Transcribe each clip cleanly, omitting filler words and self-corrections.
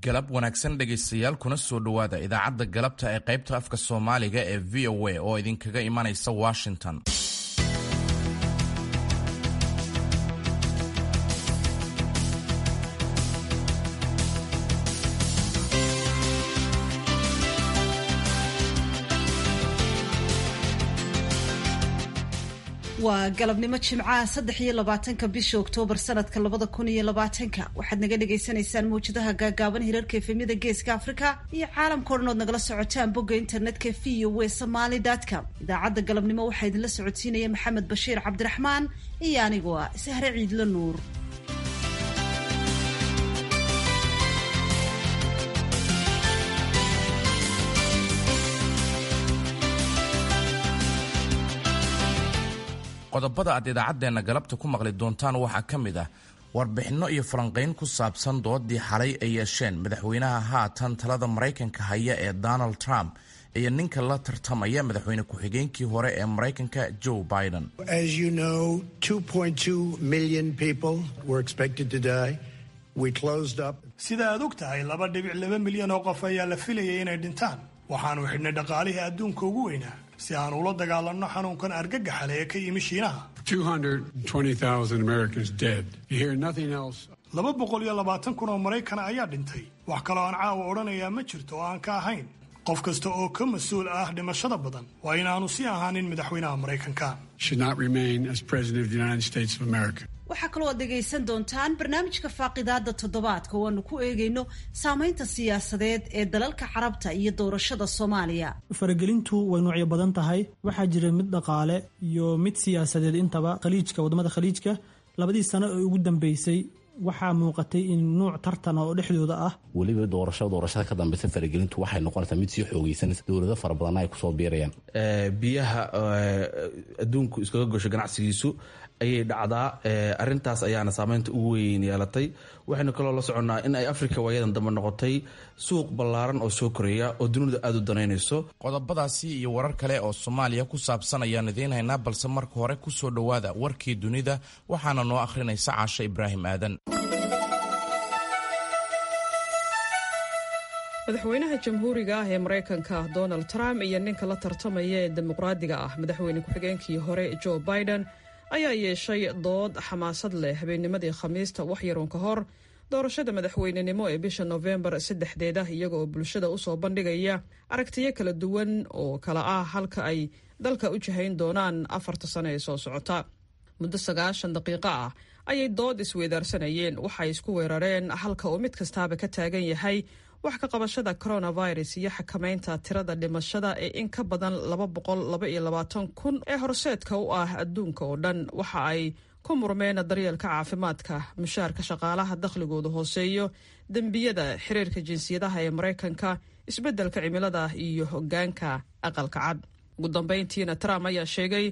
Galab wanaagsan dhegaystayaal, kuna soo dhowaada idaacadda galabta ee qaybta afka Soomaaliga ee VOA oo idinkaga imanaysa Washington. Waa galabnimo Jimcaha, 23-ka bisha Oktoobar sanadka 2020-ka. Waxaad naga dhagaysanaysaan mawjadaha gaagaaban, hirarka FM-yada Geeska Afrika iyo caalamka o dhan ood nagala socotaan bogga internetka voasomaly.com. Idaacadda galabnimo waxaa idinla socodsiinaya Maxamed Bashiir Cabdiraxmaan iyo anigoo ah Sahre Ciidlo Nuur. Qodobada aad idaacaddeenna galabta ku maqli doontaan waxaa ka mid ah warbixinno iyo falanqayn ku saabsan doodii xalay ay yeesheen madaxweynaha haatan talada Maraykanka haya ee Donald Trump iyo ninka la tartamaya, madaxweyne ku-xigeenkii hore ee Maraykanka Joe Biden. As you know, 2.2 million people were expected to die. We closed up. Sida aad og tahay, 2.2 milyan oo qof ayaa la filayay inay dhintaan. Waxaanu xidhnay dhaqaalihii adduunka ugu weynaa si aan ula dagaalanno xanuunkan argagaxale ee ka yimi Shiinaha. 220,000 Americans dead. You hear nothing else. 220,000 oo Maraykana ayaa dhintay. Wax kaloo aan caawa odhanayaa ma jirto oo aan ka ahayn, qof kasta oo ka mas-uul ah dhimashada badan waa inaanu sii ahaanin madaxweynaha Maraykanka. Should not remain as president of the United States of America. Waxaa kaloo aad dhegaysan doontaan barnaamijka faaqidaada toddobaadka oo aanu ku eegayno saameynta siyaasadeed ee dalalka Carabta iyo doorashada Soomaaliya. Faragelintu way noocyo badan tahay. Waxaa jira mid dhaqaale iyo mid siyaasadeed intaba. Khaliijka, waddamada Khaliijka, labadii sano ee ugu dambeysay waxaa muuqatay in nuuc tartan oo dhexdooda ah. Weliba doorasho doorashada ka dambeysa faragelintu waxay noqonaysaa mid sii xoogeysanaysa, dowlado fara badanna ay kusoo biirayaan. Biyaha adduunku iskaga gosho ganacsigiisu ayay dhacdaa. Arintaas ayaana saameynta ugu weyn yeelatay. Waxaynu kaloo la soconnaa in ay Afrika waayadan dambe noqotay suuq ballaaran oo soo koreeya oo dunida aada u danaynayso. Qodobadaasi iyo warar kale oo Soomaaliya ku saabsan ayaan idiin haynaa, balse marka hore ku soo dhowaada warkii dunida. Waxaana noo akhrinaysa Caashe Ibraahim Aadan. Madaxweynaha Jamhuuriga ah ee Maraykanka Donald Trump iyo ninka la tartamaya ee Dimuqraadiga ah, madaxweyne ku-xigeenkii hore Joe Biden, ayaa yeeshay dood xamaasad leh habeennimadii Khamiista, wax yaruun ka hor doorashada madaxweynenimo ee bisha Nofembar 3-deeda, iyaga oo bulshada usoo bandhigaya aragtiyo kala duwan oo kala ah halka ay dalka u jihayn doonaan 4-ta sano ee soo socota. Muddo 90 daqiiqo ah ayay dood isweydaarsanayeen. Waxay isku weerareen halka uu mid kastaaba ka taagan yahay wax ka qabashada coronavirus iyo xakamaynta tirada dhimashada ee in ka badan 222,000 ee horseedka u ah adduunka oo dhan. Waxa ay ku murmeen daryeelka caafimaadka, mushaarka shaqaalaha dakhligoodu hooseeyo, dembiyada, xiriirka jinsiyadaha ee Maraykanka, isbeddelka cimilada iyo hoggaanka Aqalka Cad. Ugu dambayntiina Trump ayaa sheegay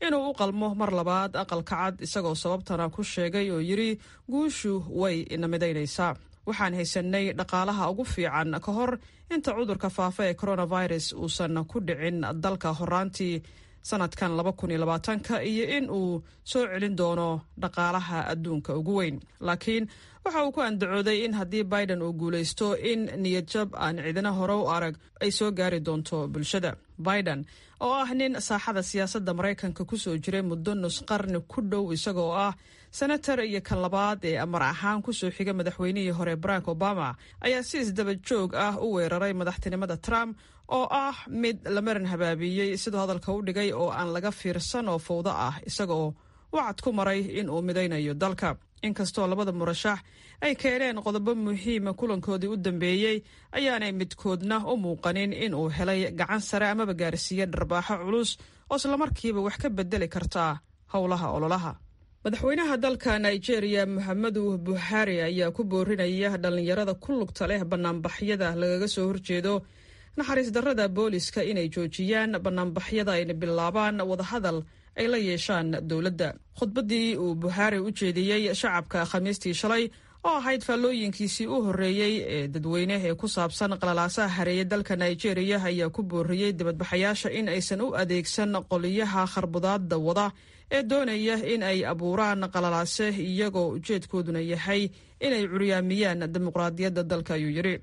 inuu u qalmo mar labaad Aqalka Cad, isagoo sababtana ku sheegay oo yidhi: "Guushu way ina midaynaysaa. Waxaan haysanay dhaqaalaha ugu fiican ka hor inta cudurka faafa ee coronavirus uusan ku dhicin dalka horaantii sanadkan 2020-ka, iyo in uu soo celin doono dhaqaalaha adduunka ugu weyn." Laakiin waxa uu ku andacooday in haddii Biden uu guulaysto, in niyadjab aan cidina hore u arag ay soo gaari doonto bulshada. Biden oo ah nin saaxada siyaasadda Maraykanka kusoo jiray muddo nus qarni ku dhow, isagoo ah senator iyo kan labaad ee amar ahaan kusoo xiga madaxweynihii hore Barack Obama, ayaa si isdaba joog ah u weeraray madaxtinimada Trump oo ah mid la maran habaabiyey, siduu hadalka u dhigay, oo aan laga fiirsan oo fowdo ah, isagaoo wacad ku maray in uu midaynayo dalka. Inkastoo labada murashax ay keeneen qodobo muhiima kulankoodii u dambeeyey, ayaanay midkoodna u muuqanin in uu helay gacan sare amaba gaarsiiye dharbaaxo culus oo islamarkiiba wax ka bedeli kartaa howlaha ololaha. Madaxweynaha dalka Nigeria Moxamedu Buhari ayaa ku boorinaya dhallinyarada ku lugta leh banaanbaxyada lagaga soo horjeedo naxariis darrada booliska inay joojiyaan banaanbaxyada ayna bilaabaan wadahadal ay la yeeshaan dowladda. Khudbaddii uu Buhaari u jeediyey shacabka Khamiistii shalay, oo ahayd faallooyinkiisii u horreeyey ee dadweyne ee ku saabsan qalalaasaha hareeye dalka Nigeria, ayaa ku booriyey dibadbaxayaasha in aysan u adeegsan qoliyaha kharbudaadda wada ee doonaya in ay abuuraan qalalaase, iyagoo ujeedkooduna yahay inay curyaamiyaan dimuqraadiyadda dalka, ayuu yidhi.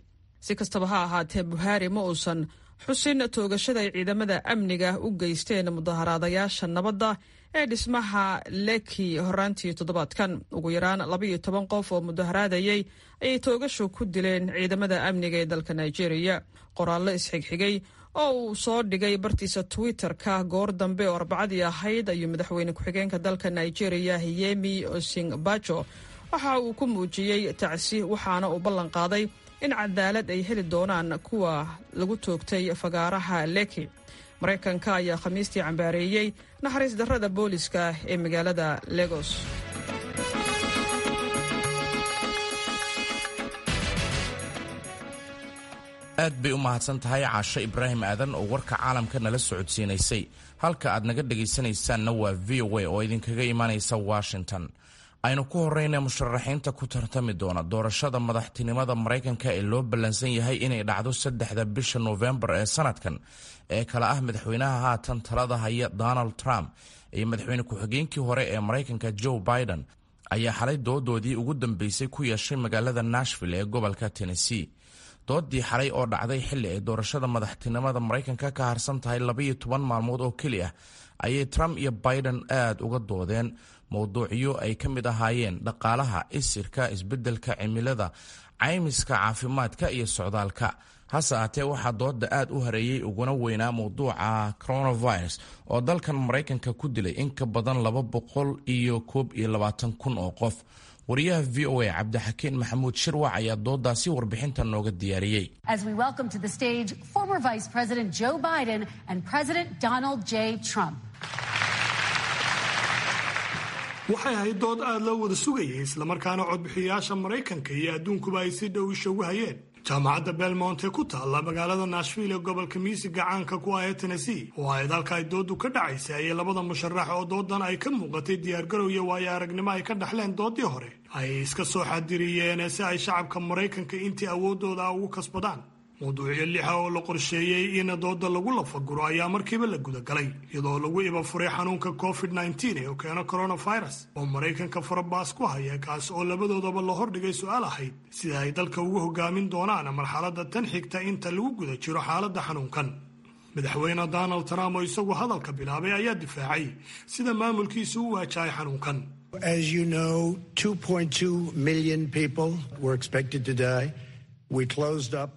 Si kastaba ha ahaatee, Buhaari ma uusan xusin toogashada ay ciidamada amniga u geysteen mudaharaadayaasha nabadda ee dhismaha Leki horaantii toddobaadkan. Ugu yaraan 12 qof oo mudaharaadayay ayay toogashu ku dileen ciidamada amniga ee dalka Nigeria. Qoraallo isxigxigay oo uu soo dhigay bartiisa Twitter-ka goor dambe oo Arbacadii ahayd ayuu madaxweyne ku-xigeenka dalka Nigeria Yemi Osinbajo waxa uu ku muujiyey tacsi, waxaana uu ballan qaaday in cadaalad ay heli doonaan kuwa lagu toogtay fagaaraha Leki. Maraykanka ayaa Khamiistii cambaareeyey naxariis darrada booliska ee magaalada Lagos. Aad bay u mahadsan tahay Caasho Ibraahim Aadan oo warka caalamka nala socodsiinaysay. Halka aad naga dhegaysanaysaanna waa VOA oo idinkaga imaanaysa Washington. Aynu ku horeyna musharaxiinta ku tartami doona doorashada madaxtinimada Maraykanka ee loo ballansan yahay inay dhacdo 3-da bisha Noofembar ee sanadkan, ee kala ah madaxweynaha haatan talada haya Donald Trump iyo madaxweyne ku-xigeenkii hore ee Maraykanka Joe Biden, ayaa xalay doodoodii ugu dambeysay ku yeeshay magaalada Nashville ee gobolka Tennessee. Doodii xalay oo dhacday xilli ay doorashada madaxtinimada Maraykanka ka harsan tahay 12 maalmood oo keli ah ayay Trump iyo Biden aad uga doodeen mowduucyo ay ka mid ahaayeen dhaqaalaha, isirka, isbeddelka cimilada, caymiska caafimaadka iyo socdaalka. Hase ahaatee, waxaa dooda aad u hareeyey uguna weynaa mowduuca coronavirus oo dalkan Maraykanka ku dilay in ka badan 221,000 oo qof. Wariyaha VOA Cabdixakiin Maxamuud Shirwac ayaa doodaasi warbixinta nooga diyaariyey. As we welcome to the stage former Vice President Joe Biden and President Donald J. Trump. Waxay ahayd dood aad loo wada sugayay, islamarkaana codbixiyayaasha Maraykanka iyo adduunkuba ay si dhow isha ugu hayeen. Jaamacadda Belmont ee ku taalla magaalada Nashville ee gobolka miisiga caanka ku ah ee Tennessee oo ahayd halka ay doodu ka dhacaysay ayay labada musharax oo doodan ay ka muuqatay diyaargarow iyo waayo aragnimo ay ka dhaxleen doodii hore ay iska soo xadiriyeen si ay shacabka Maraykanka intii awooddooda ah ugu kasbadaan. Mawduucyo lixa oo la qorsheeyey in dooda lagu lafaguro ayaa markiiba la gudagalay, iyadoo lagu ibafuray xanuunka COVID-19 ee keeno coronavirus oo Maraykanka farabaas ku haya, kaas oo labadoodaba la hordhigay su-aal ahayd sida ay dalka ugu hogaamin doonaan marxaladda tan xigta inta lagu guda jiro xaaladda xanuunkan. Madaxweyne Donald Trump oo isagu hadalka bilaabay ayaa difaacay sida maamulkiisu u waajahay xanuunkan. As you know, 2.2 million people were expected to die. We closed up.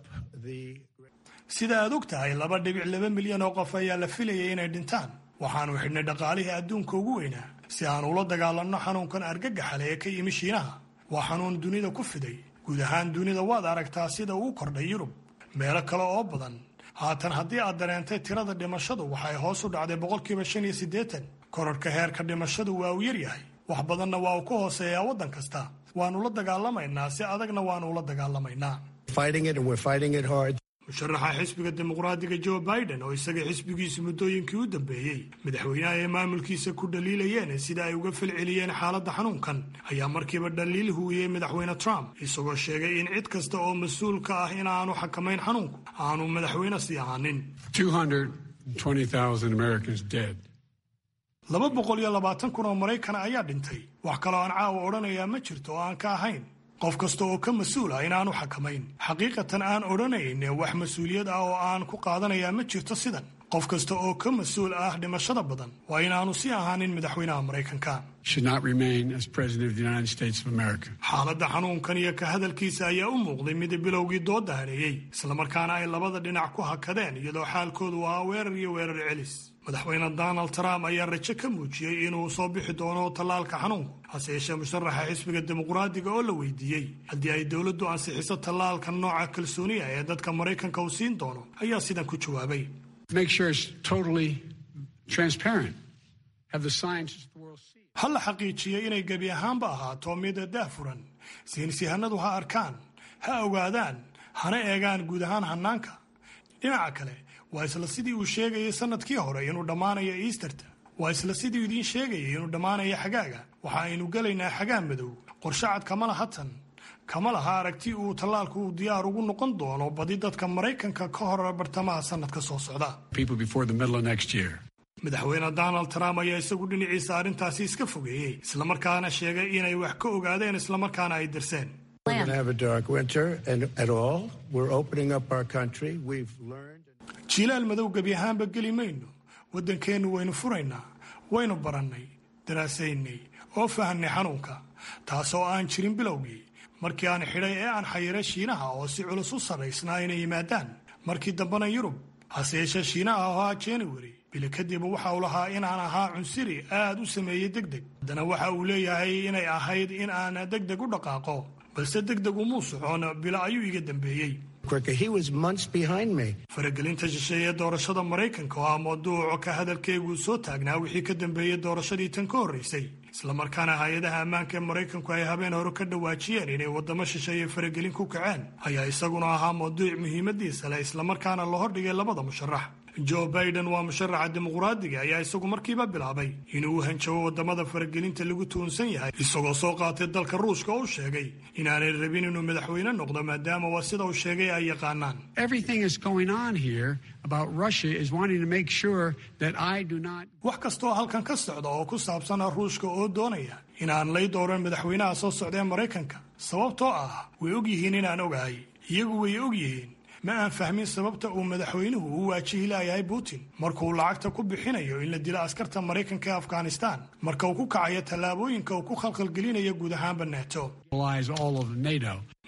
Sida aad og tahay, 2.2 milyan oo qof ayaa la filayay inay dhintaan. Waxaanu xidhnay dhaqaalihii adduunka ugu weynaa si aan ula dagaalanno xanuunkan argagaxale ee ka yimi Shiinaha. Waa xanuun dunida ku fiday guud ahaan dunida. Waad aragtaa sida uu kordhay Yurub, meelo kale oo badan. Haatan haddii aad dareentay, tirada dhimashadu waxay hoos u dhacday 85%. Kororhka heerka dhimashadu waa uu yaryahay, wax badanna waa uu ka hooseeyaa waddan kasta. Waannu la dagaalamaynaa, si adagna waannu ula dagaalamaynaa. Musharaxa xisbiga Dimuqraadiga Joe Biden oo isaga xisbigiisu muddooyinkii u dambeeyey madaxweynaha ee maamulkiisa ku dhaliilayeen sida ay uga falceliyeen xaaladda xanuunkan ayaa markiiba dhaliil huwiyey madaxweyne Trump, isagoo sheegay in cid kasta oo mas-uul ka ah in aanu xakamayn xanuunku aanu madaxweyne sii ahaanin. 220,000 Americans dead. 220,000 oo Maraykan ayaa dhintay. Wax kaloo aan caawa odhanayaa ma jirto oo aan ka ahayn qof kasta oo ka mas-uul ah inaanu xakamayn. Xaqiiqatan aan odhanayn wax mas-uuliyad ah oo aan ku qaadanayaa ma jirto sidan. Qof kasta oo ka mas-uul ah dhimashada badan waa inaanu sii ahaanin madaxweynaha Maraykanka. Should not remain as President of the United States of America. Xaaladda xanuunkan iyo ka hadalkiisa ayaa u muuqday mid bilowgii dooda hareeyey, islamarkaana ay labada dhinac ku hakadeen, iyadoo xaalkoodu ahaa weerar iyo weerar celis. Madaxweyne Donald Trump ayaa rajo ka muujiyey inuu soo bixi doono tallaalka xanuunku. Hase yeeshee, musharaxa xisbiga Dimuqraadiga oo la weydiiyey haddii ay dowladdu ansixiso tallaalka nooca kalsooniya ee dadka Maraykanka uu siin doono ayaa sidan ku jawaabay. Make sure it's totally transparent. Have the scientists of the world see. Ha la xaqiijiyey inay gebi ahaanba ahaato mid daahfuran. Saynisyahanadu ha arkaan, ha ogaadaan, hana eegaan guud ahaan hannaanka. Dhinaca kale, waa isla sidii uu sheegayay sannadkii hore inuu dhammaanayo Easterta. Waa isla sidii idiin sheegayay inuu dhammaanayo xagaaga. Waxa aynu gelaynaa xagaa madow. Qorshe cad kama laha tan, kama laha aragti uu tallaalku uu diyaar ugu noqon doono badi dadka Maraykanka ka hor bartamaha sannadka soo socda. People before the middle of next year. Madaxweyne Donald Trump ayaa isagu dhinaciisa arrintaasi iska fogeeyey, islamarkaana sheegay inay wax ka ogaadeen, islamarkaana ay dirseen. Jiilaal madow gebi ahaanba geli mayno. Waddankeennu waynu furaynaa, waynu barannay, daraasaynay oo fahanay xanuunka, taasoo aan jirin bilowgii markii aan xidhay ee aan xayiray Shiinaha oo si culus u sarraysnaa inay yimaadaan, markii dambena Yurub. Hase yeeshee Shiinaha oo ahaa January bili kadib waxa uu lahaa inaan ahaa cunsiri aad u sameeyey degdeg. Haddana waxa uu leeyahay inay ahayd in aan degdeg u dhaqaaqo, balse degdeg umuu socon, bilo ayuu iga dambeeyey. Faragelinta shisheeye doorashada Maraykanka oo ah mawduuc ka hadalkeyguu soo taagnaa wixii ka dambeeyey doorashadii tan ka horraysay, islamarkaana hay-adaha ammaanka ee Maraykanku ay habeen hore ka dhawaajiyeen inay waddamo shisheeye faragelin ku kaceen, ayaa isaguna ahaa mawduuc muhiimadiisa leh, islamarkaana la hordhigay labada musharax. Joe Biden waa musharaxa dimuqraadiga ayaa isagu markiiba bilaabay inuu u hanjabo waddamada faragelinta lagu tuhunsan yahay, isagoo soo qaatay dalka Ruushka oo u sheegay inaanay rabin inuu madaxweyne noqdo, maadaama waa sida uu sheegay ay yaqaanaan. Wax kastaoo halkan ka socda oo ku saabsan Ruushka oo doonaya inaan lay dooran madaxweynaha soo socda ee Maraykanka, sababtoo ah way og yihiin inaan ogahay, iyagu way og yihiin. Ma aan fahmin sababta uu madaxweynuhu u waajihi laayahay Putin markuu lacagta ku bixinayo in la dilo askarta Maraykanka ee Afghanistan, marka uu ku kacayo tallaabooyinka uu ku khalkhalgelinayo guud ahaanba NATO.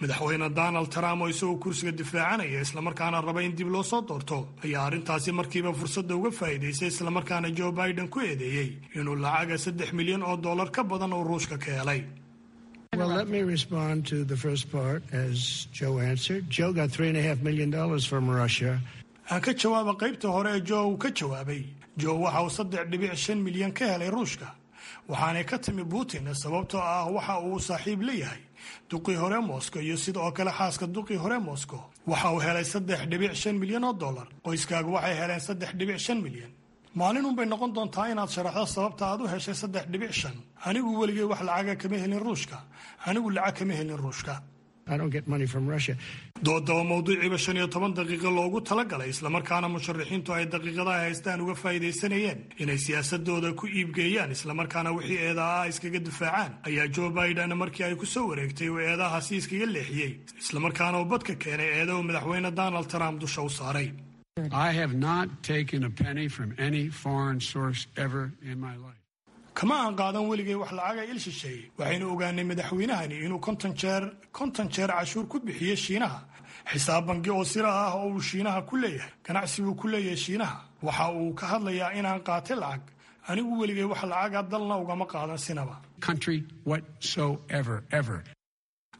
Madaxweyne Donald Trump oo isagoo kursiga difaacanaya islamarkaana raba in dib loo soo doorto ayaa arrintaasi markiiba fursadda uga faa'iidaysay, islamarkaana Joe Biden ku eedeeyey inuu lacaga $3 milyan ka badan uu Ruushka ka helay. Well, let me respond to the first part as Joe answered. Joe got $3.5 million from Russia. Aan ka jawaaba qaybta hore ee Joe uu ka jawaabay. Joe waxa uu 3.5 milyan ka helay Ruushka, waxaanay ka timi Putin, sababtoo ah waxa uu saaxiib leeyahay duqii hore Moscow iyo sidoo kale xaaska duqii hore Moscow. Waxa uu helay $3.5 milyan. Qoyskaagu waxay heleen 3.5 milyan. Maalin unbay noqon doontaa inaad sharaxdo sababta aad u heshay 3.5. Anigu weligay wax lacaga kama helin Ruushka. Anigu lacag kama helin Ruushka. Dooda oo mawduuciiba 15 daqiiqo loogu talagalay, islamarkaana musharaxiintu ay daqiiqadaha haystaan uga faa'iidaysanayeen inay siyaasadooda ku iibgeeyaan, islamarkaana wixii eedaha ah iskaga difaacaan, ayaa Joe Biden markii ay ku soo wareegtay uu eedahaasi iskaga leexiyey, islamarkaana uu badka keenay eeda uu madaxweyne Donald Trump dusha u saaray. I have not taken a penny from any foreign source ever in my life. Kama aan qaadan weligay wax lacaga il shisheeye. Waxaynu ogaanay madaxweynahani inuu 50 jeer, 50 jeer cashuur ku bixiyey Shiinaha, xisaab bangi oo sira ah oo uu Shiinaha ku leeyahay, ganacsi buu ku leeyahay Shiinaha. Waxa uu ka hadlayaa inaan qaatay lacag. Anigu weligay wax lacaga dalna ugama qaadan sinaba. Country whatsoever, ever.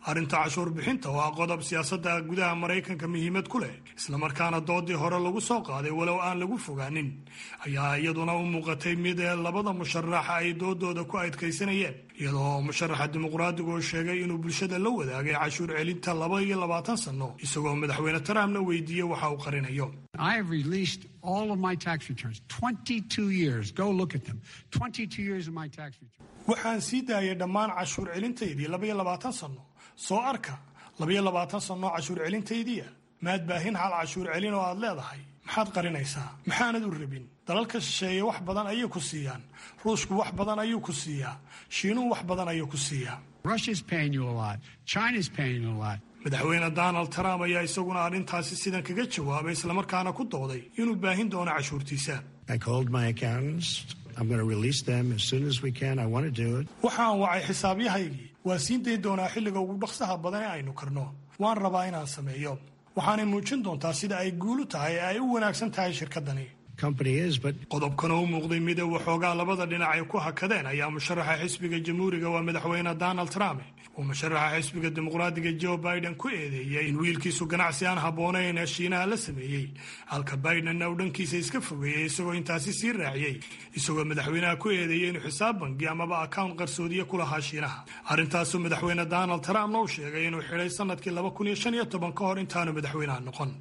Arrinta cashuur bixinta oo ah qodob siyaasadda gudaha Maraykanka muhiimad ku leh, islamarkaana doodii hore lagu soo qaaday walow aan lagu fogaanin, ayaa iyaduna u muuqatay mid labada musharax ay doodooda ku adkaysanayeen, iyadoo musharaxa dimuqraadigu oo sheegay inuu bulshada la wadaagay cashuur celinta 22 sanno, isagoo madaxweyne Trumpna weydiiyey waxa uu qarinayo. I have released all of my tax returns. 22 years. Go look at them. 22 years of my tax returns. Waxaan sii daayay dhammaan cashuur celintaydii 22 sanno. Soo arka 22 sanno cashuur celintaydiia. Maad baahin hal cashuur celin oo aad leedahay. Maxaad qarinaysaa? Maxaanad u rabin? Dalalka shisheeye wax badan ayay ku siiyaan. Ruushku wax badan ayuu ku siiyaa. Shiinuhu wax badan ayuu ku siiyaa. Russia's paying you a lot. China's paying you a lot. Madaxweyne Donald Trump ayaa isaguna arrintaasi sidan kaga jawaabay, islamarkaana ku dooday inuu baahin doono cashuurtiisa. I called my accountants. I'm going to release them as soon as we can. I want to do it. Waxaan wacay xisaabyahaygii. Waan siin dayn doonaa xilliga ugu dhaqsaha badan ee aynu karno. Waan rabaa inaan sameeyo. Waxaanay muujin doontaa sida ay guulu tahay ee ay u wanaagsan tahay shirkaddani. Company is, but Qodobkan oo u muuqday mid waxoogaa labada dhinac ay ku hakadeen ayaa musharaxa xisbiga Jamhuuriga waa madaxweyne Donald Trump uu musharaxa xisbiga Dimuqraadiga Joe Biden ku eedeeyey in wiilkiisu ganacsi aan habboonayn ee Shiinaha la sameeyey, halka Bidenna uu dhankiisa iska fogeeyey, isagoo intaasi sii raaciyey, isagoo madaxweynaha ku eedeeyey inuu xisaab bangi amaba account qarsoodiye ku lahaa Shiinaha. Arrintaasuu madaxweyne Donald Trumpna uu sheegay inuu xidhay sanadkii 2015 ka hor intaanu madaxweynaha noqon.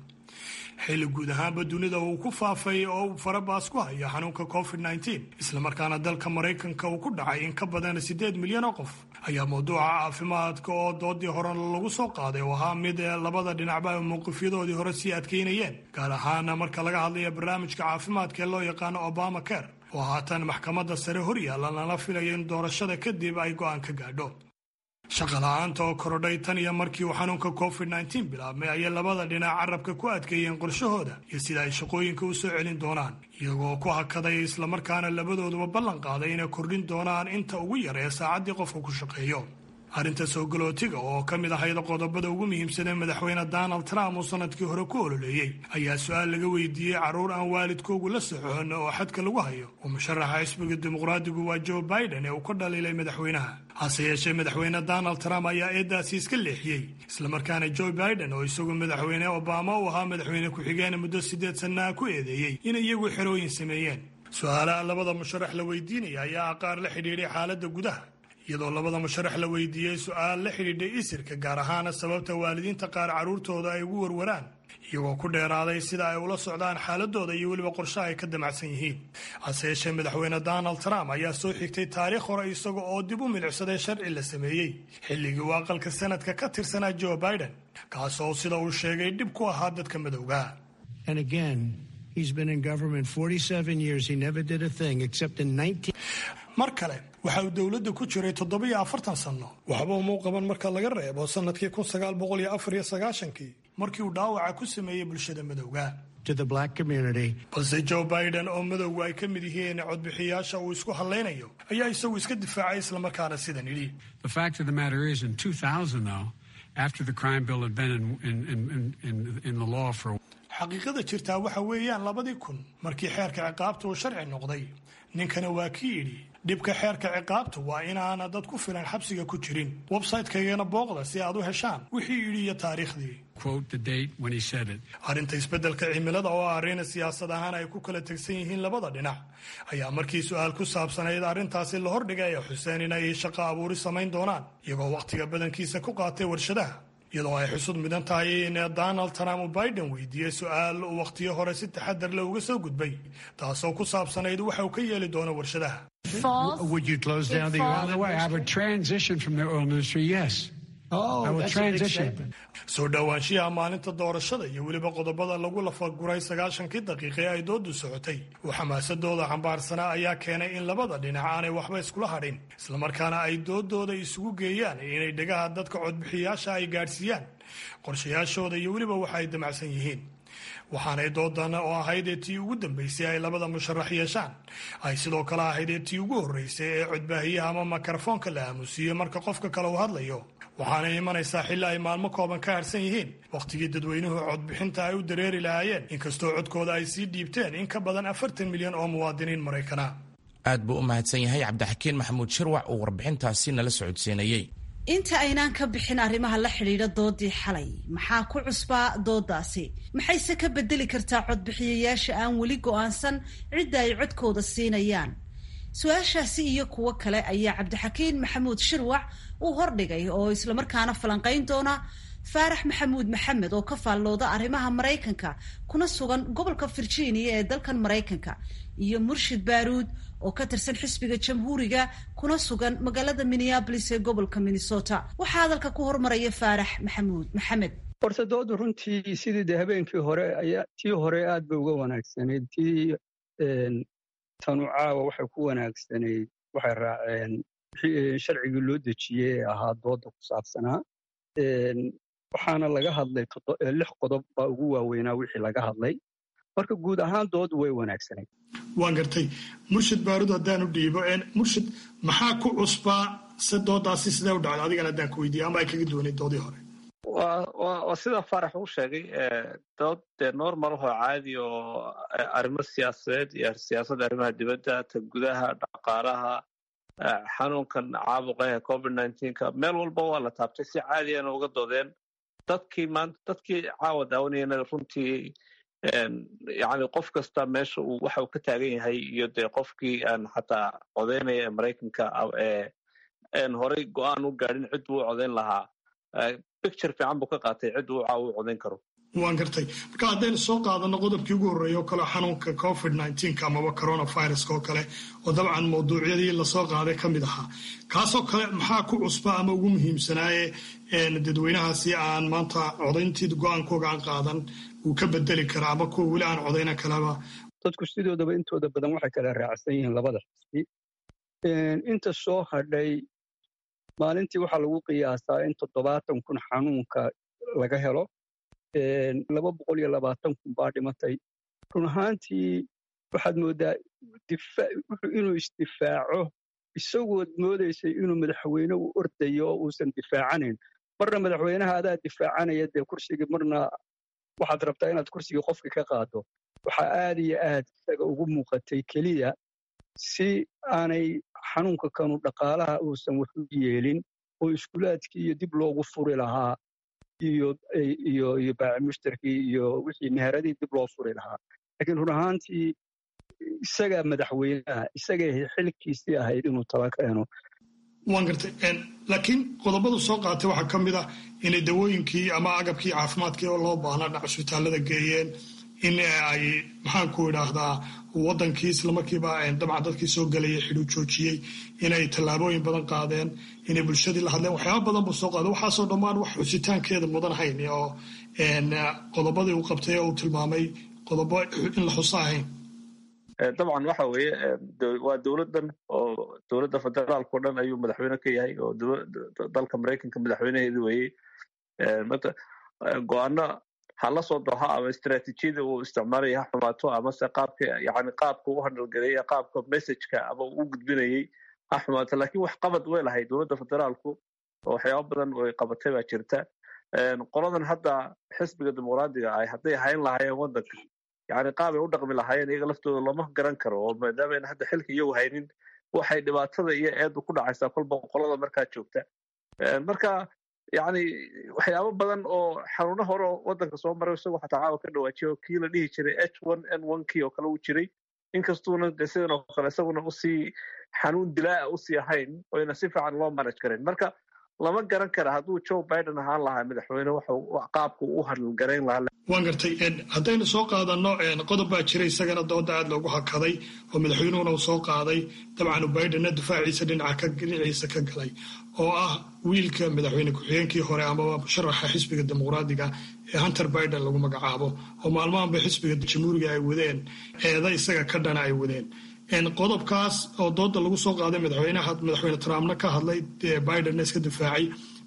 Xilli guud ahaanba dunida uu ku faafay oo uu farabaas ku hayo xanuunka COVID-19, islamarkaana dalka Maraykanka uu ku dhacay in ka badan 8 milyan oo qof, ayaa mawduuca caafimaadka oo doodii hore lagu soo qaaday oo ahaa mid labada dhinacba ay mowqifyadoodii hore sii adkeynayeen, gaar ahaana marka laga hadlayo barnaamijka caafimaadka ee loo yaqaano Obama Care oo haatan maxkamadda sare hor yaalla, lana filayo in doorashada kadib ay go'aan ka gaadho. Shaqala-aanta oo korodhay tan iyo markii uu xanuunka COVID-19 bilaabmay ayay labada dhinac carabka ku adkeeyeen qorshahooda iyo sida ay shaqooyinka u soo celin doonaan, iyagoo ku hakaday islamarkaana labadooduba ballan qaaday inay kordhin doonaan inta ugu yar ee saacaddii qofka ku shaqeeyo. Arrinta soo galootiga oo ka mid ahayd qodobada ugu muhiimsanee madaxweyne Donald Trump uu sanadkii hore ku ololeeyey ayaa su-aal laga weydiiyey carruur aan waalidkoogu la socon oo xadka lagu hayo oo musharaxa xisbiga Dimuqraadigu waa Joe Biden ee uu ka dhaliilay madaxweynaha. Hase yeeshee, madaxweyne Donald Trump ayaa eedaasi iska leexiyey, islamarkaana Joe Biden oo isagu madaxweyne Obama uu ahaa madaxweyne ku-xigeen muddo 8 sannaha ku eedeeyey in iyagu xerooyin sameeyeen. Su-aalaha labada musharax la weydiinaya ayaa qaar la xidhiidhay xaaladda gudaha, iyadoo labada musharax la weydiiyey su-aal la xidhiidhay isirka, gaar ahaana sababta waalidiinta qaar carruurtooda ay ugu warwaraan, iyagoo ku dheeraaday sida ay ula socdaan xaaladooda iyo weliba qorshaha ay ka damacsan yihiin. Hase yeeshee, madaxweyne Donald Trump ayaa soo xigtay taariikh hore, isaga oo dib u milicsaday sharci la sameeyey xilligii uu aqalka Sanadka ka tirsanaa Joe Biden, kaasoo sida uu sheegay dhib ku ahaa dadka madowga. And again, he's been in government 47 years. He never did a thing except in 19. Mar kale, waxa uu dowladda ku jiray 47 sanno, waxba umuu qaban marka laga reebo sannadkii 1994-kii markii uu dhaawaca ku sameeyey bulshada madowga. To the black community. Balse Joe Biden oo madowgu ay ka mid yihiin codbixiyaasha uu isku hadlaynayo ayaa isagu iska difaacay, islamarkaana sidan yidhi: The fact of the matter is, in 2000, though, after the crime bill had been in the law for Xaqiiqada jirtaa waxa weeyaan 2000 markii xeerka ciqaabta uu sharci noqday, ninkana waa kii yidhi dhibka xeerka ciqaabta waa inaana dad ku filan xabsiga ku jirin. Website-kaygana booqda si aad u heshaan wixii yidhi iyo taariikhdii. Quote the date when he said it. Arrinta isbeddelka cimilada oo ah arrin siyaasad ahaan ay ku kala tegsan yihiin labada dhinac ayaa markii su-aal ku saabsanayd arrintaasi la hordhigay ay xuseen inay shaqo abuuri samayn doonaan, iyagoo wakhtiga badankiisa ku qaatay warshadaha, iyadoo ay xusud mudan tahay in Donald Trump uu Biden weydiiyey su-aal uu wakhtiyo hore si taxadar leh uga soo gudbay, taasoo ku saabsanayd waxa uu ka yeeli doono warshadaha. Would you close down the By the way, I would transition from the oil industry, yes. Oh, I will that's a big transition. statement. Soo dhowaanshiyaha maalinta doorashada iyo weliba qodobada lagu lafaguray 90-kii daqiiqe ay doodu socotay oo xamaasadooda xambaarsanaa ayaa keenay in labada dhinac aanay waxba iskula hadhin, islamarkaana ay doodooda isugu geeyaan inay dhegaha dadka codbixiyaasha ay gaadhsiiyaan qorshayaashooda iyo weliba waxa ay damacsan yihiin. Waxaanay doodan oo ahayd ee tii ugu dambeysay ay labada musharax yeeshaan ay sidoo kale ahayd ee tii ugu horreysay ee codbaahiyaha ama mikrofoonka la aamusiiyo marka qofka kale uu hadlayo. Waxaanay imanaysaa xilli ay maalmo kooban ka harsan yihiin wakhtigii dadweynuhu codbixinta ay u dareeri lahaayeen, inkastoo codkooda ay sii dhiibteen in ka badan 40 milyan oo muwaadiniin Maraykana. Aad buu u mahadsan yahay Cabdixakiin Maxamuud Shirwac oo warbixintaasi nala socodsiinayey. Inta aynaan ka bixin arrimaha la xidhiidha doodii xalay, maxaa ku cusbaa doodaasi? Maxayse ka bedeli kartaa codbixiyayaasha aan weli go'aansan cidda ay codkooda siinayaan? Su-aashaasi iyo kuwo kale ayaa Cabdixakiin Maxamuud Shirwac uu hordhigay oo islamarkaana falanqayn doona Faarax Maxamuud Maxamed oo ka faallooda arrimaha Maraykanka kuna sugan gobolka Virginia ee dalkan Maraykanka, iyo Murshid Baaruud oo ka tirsan xisbiga Jamhuuriga kuna sugan magaalada Minneapolis ee gobolka Minnesota. Waxaa hadalka ku hormaraya Faarax Maxamuud Maxamed. Horta doodu runtii sidii dee habeenkii hore ayaa tii hore aad bay uga wanaagsanayd. Tii tanu caawa waxay ku wanaagsanayd, waxay raaceen sharcigii loo dejiyey ee ahaa dooda ku saabsanaa. Waxaana laga hadlay lix qodob baa ugu waaweynaa wixii laga hadlay. Marka guud ahaan doodu way wanaagsanayd. Waan gartay. Murshid Baarud haddaan u dhiibo, Murshid, maxaa ku cusbaa se doodaasi sidee u dhacday adigana haddaan ku weydiiya ama ay kaga duwanay doodii hore? Waa sida Faarax uu sheegay, dood dee normal ahoo caadi oo arrimo siyaasadeed iyo siyaasadda arrimaha dibadda, ta gudaha, dhaqaalaha, xanuunkan caabuqa ee COVID-19-ka, meel walba waa la taabtay, si caadiyana uga doodeen. Dadkii maanta, dadkii caawa daawanayana runtii, yani qof kasta meesha uu waxa uu ka taagan yahay iyo dee qofkii aan xataa codeynaya ee Maraykanka een horey go-aan u gaadhin cid uu codeyn lahaa, picture fiican buu ka qaatay cid uu caawa u codeyn karo. Waan gartay. Marka haddaynu soo qaadano qodobkii ugu horreeya oo kale, xanuunka COVID-19-ka amaba coronaviruska oo kale, oo dabcan mawduucyadii lasoo qaaday ka mid ahaa, kaasoo kale maxaa ku cusba ama ugu muhiimsanaaye dadweynahaasi aan maanta codayntii go-aankooga aan qaadan uu ka bedeli karaa ama kuwa weli aan codayna kaleba? Dadku sidoodaba intooda badan waxay kala raacsan yihiin labada xisbi. Inta soo hadhay Maalintii waxaa lagu qiyaasaa in 70,000 xanuunka laga helo, 220,000 baa dhimatay. Run ahaantii waxaad moodaa inuu isdifaaco, isagood moodaysay inuu madaxweyne u ordayo oo uusan difaacanayn. Marna madaxweynaha adaa difaacanaya dee kursigii, marna waxaad rabtaa inaad kursigii qofka ka qaado. Waxaa aad iyo aad isaga ugu muuqatay keliya si aanay xanuunka kanu dhaqaalaha uusan wax u yeelin oo iskuulaadkii iyo dib loogu furi lahaa iyo iyo iyo baaci mushtarkii iyo wixii meheradii dib loo furi lahaa. Laakiin run ahaantii isagaa madaxweynaha, isagay xilkiisii ahayd inuu tala keeno. Waan gartay, laakiin qodobadu soo qaatay waxaa ka mid ah inay dawooyinkii ama agabkii caafimaadkii oo loo baahnaa dhinac cusbitaalada geeyeen, in ay maxaanku idhaahdaa wadankii islamarkiiba dabcan dadkii soo gelayay xidhuu joojiyey, inay tallaabooyin badan qaadeen, inay bulshadii la hadleen, waxyaaba badan buu soo qaaday. Waxaasoo dhammaan wax xusitaankeeda mudan hayn oo qodobadii uu qabtay oo uu tilmaamay qodobo in la xuso ahayn. Dabcan waxa weeye waa dowladdan oo dowladda federaalka o dhan ayuu madaxweyne ka yahay, oo dalka Maraykanka madaxweynaheedu weeye. Go-aano ha la soo doha ama istaraatiijiyada uu isticmaalaya ha xumaato, amase qaabka, yani qaabka u handalgareeyay, qaabka messageka ama uu gudbinayay ha xumaato, laakiin wax qabad way lahayd dowladda federaalku oo waxyaaba badan oy qabatay baa jirta. Qoladan hadda xisbiga Dimuqraadiga ah hadday hayn lahaayeen waddanka, yani qaabay u dhaqmi lahaayeen iyaga laftooda looma garan karo, oo maadaama ayna hadda xilka iyagu haynin, waxay dhibaatada iyo eedu ku dhacaysaa kolba qolada markaa joogta. Marka yani waxyaabo badan oo xanuuno hore oo waddanka soo maray isagoo xataa caawa ka dhawaajiya, oo kii la dhihi jiray H1N1 kii oo kale uu jiray, inkastuuna de sidan oo kale isaguna usii xanuun dilaa usii ahayn oyna si fiican loo manage karayn. Marka lama garan kara hadduu Joe Biden ahaan lahaa madaxweyne waxa qaabku u hadalgarayn lahaa. Waan gartay. Haddaynu soo qaadano qodob baa jira isagana dooda aad loogu hakaday oo madaxweynuhuna uu soo qaaday, dabcan Bidenna difaaciisa dhinaciisa ka galay, oo ah wiilka madaxweyne ku-xigeenkii hore amaba musharaxa xisbiga Dimuqraadiga ee Hunter Biden lagu magacaabo, oo maalmahanba xisbiga Jamhuuriga ay wadeen eeda isaga ka dhana ay wadeen. Qodobkaas oo dooda lagu soo qaaday, madaxweynaha, madaxweyne Trumpna ka hadlay, Bidenna iska difaacay,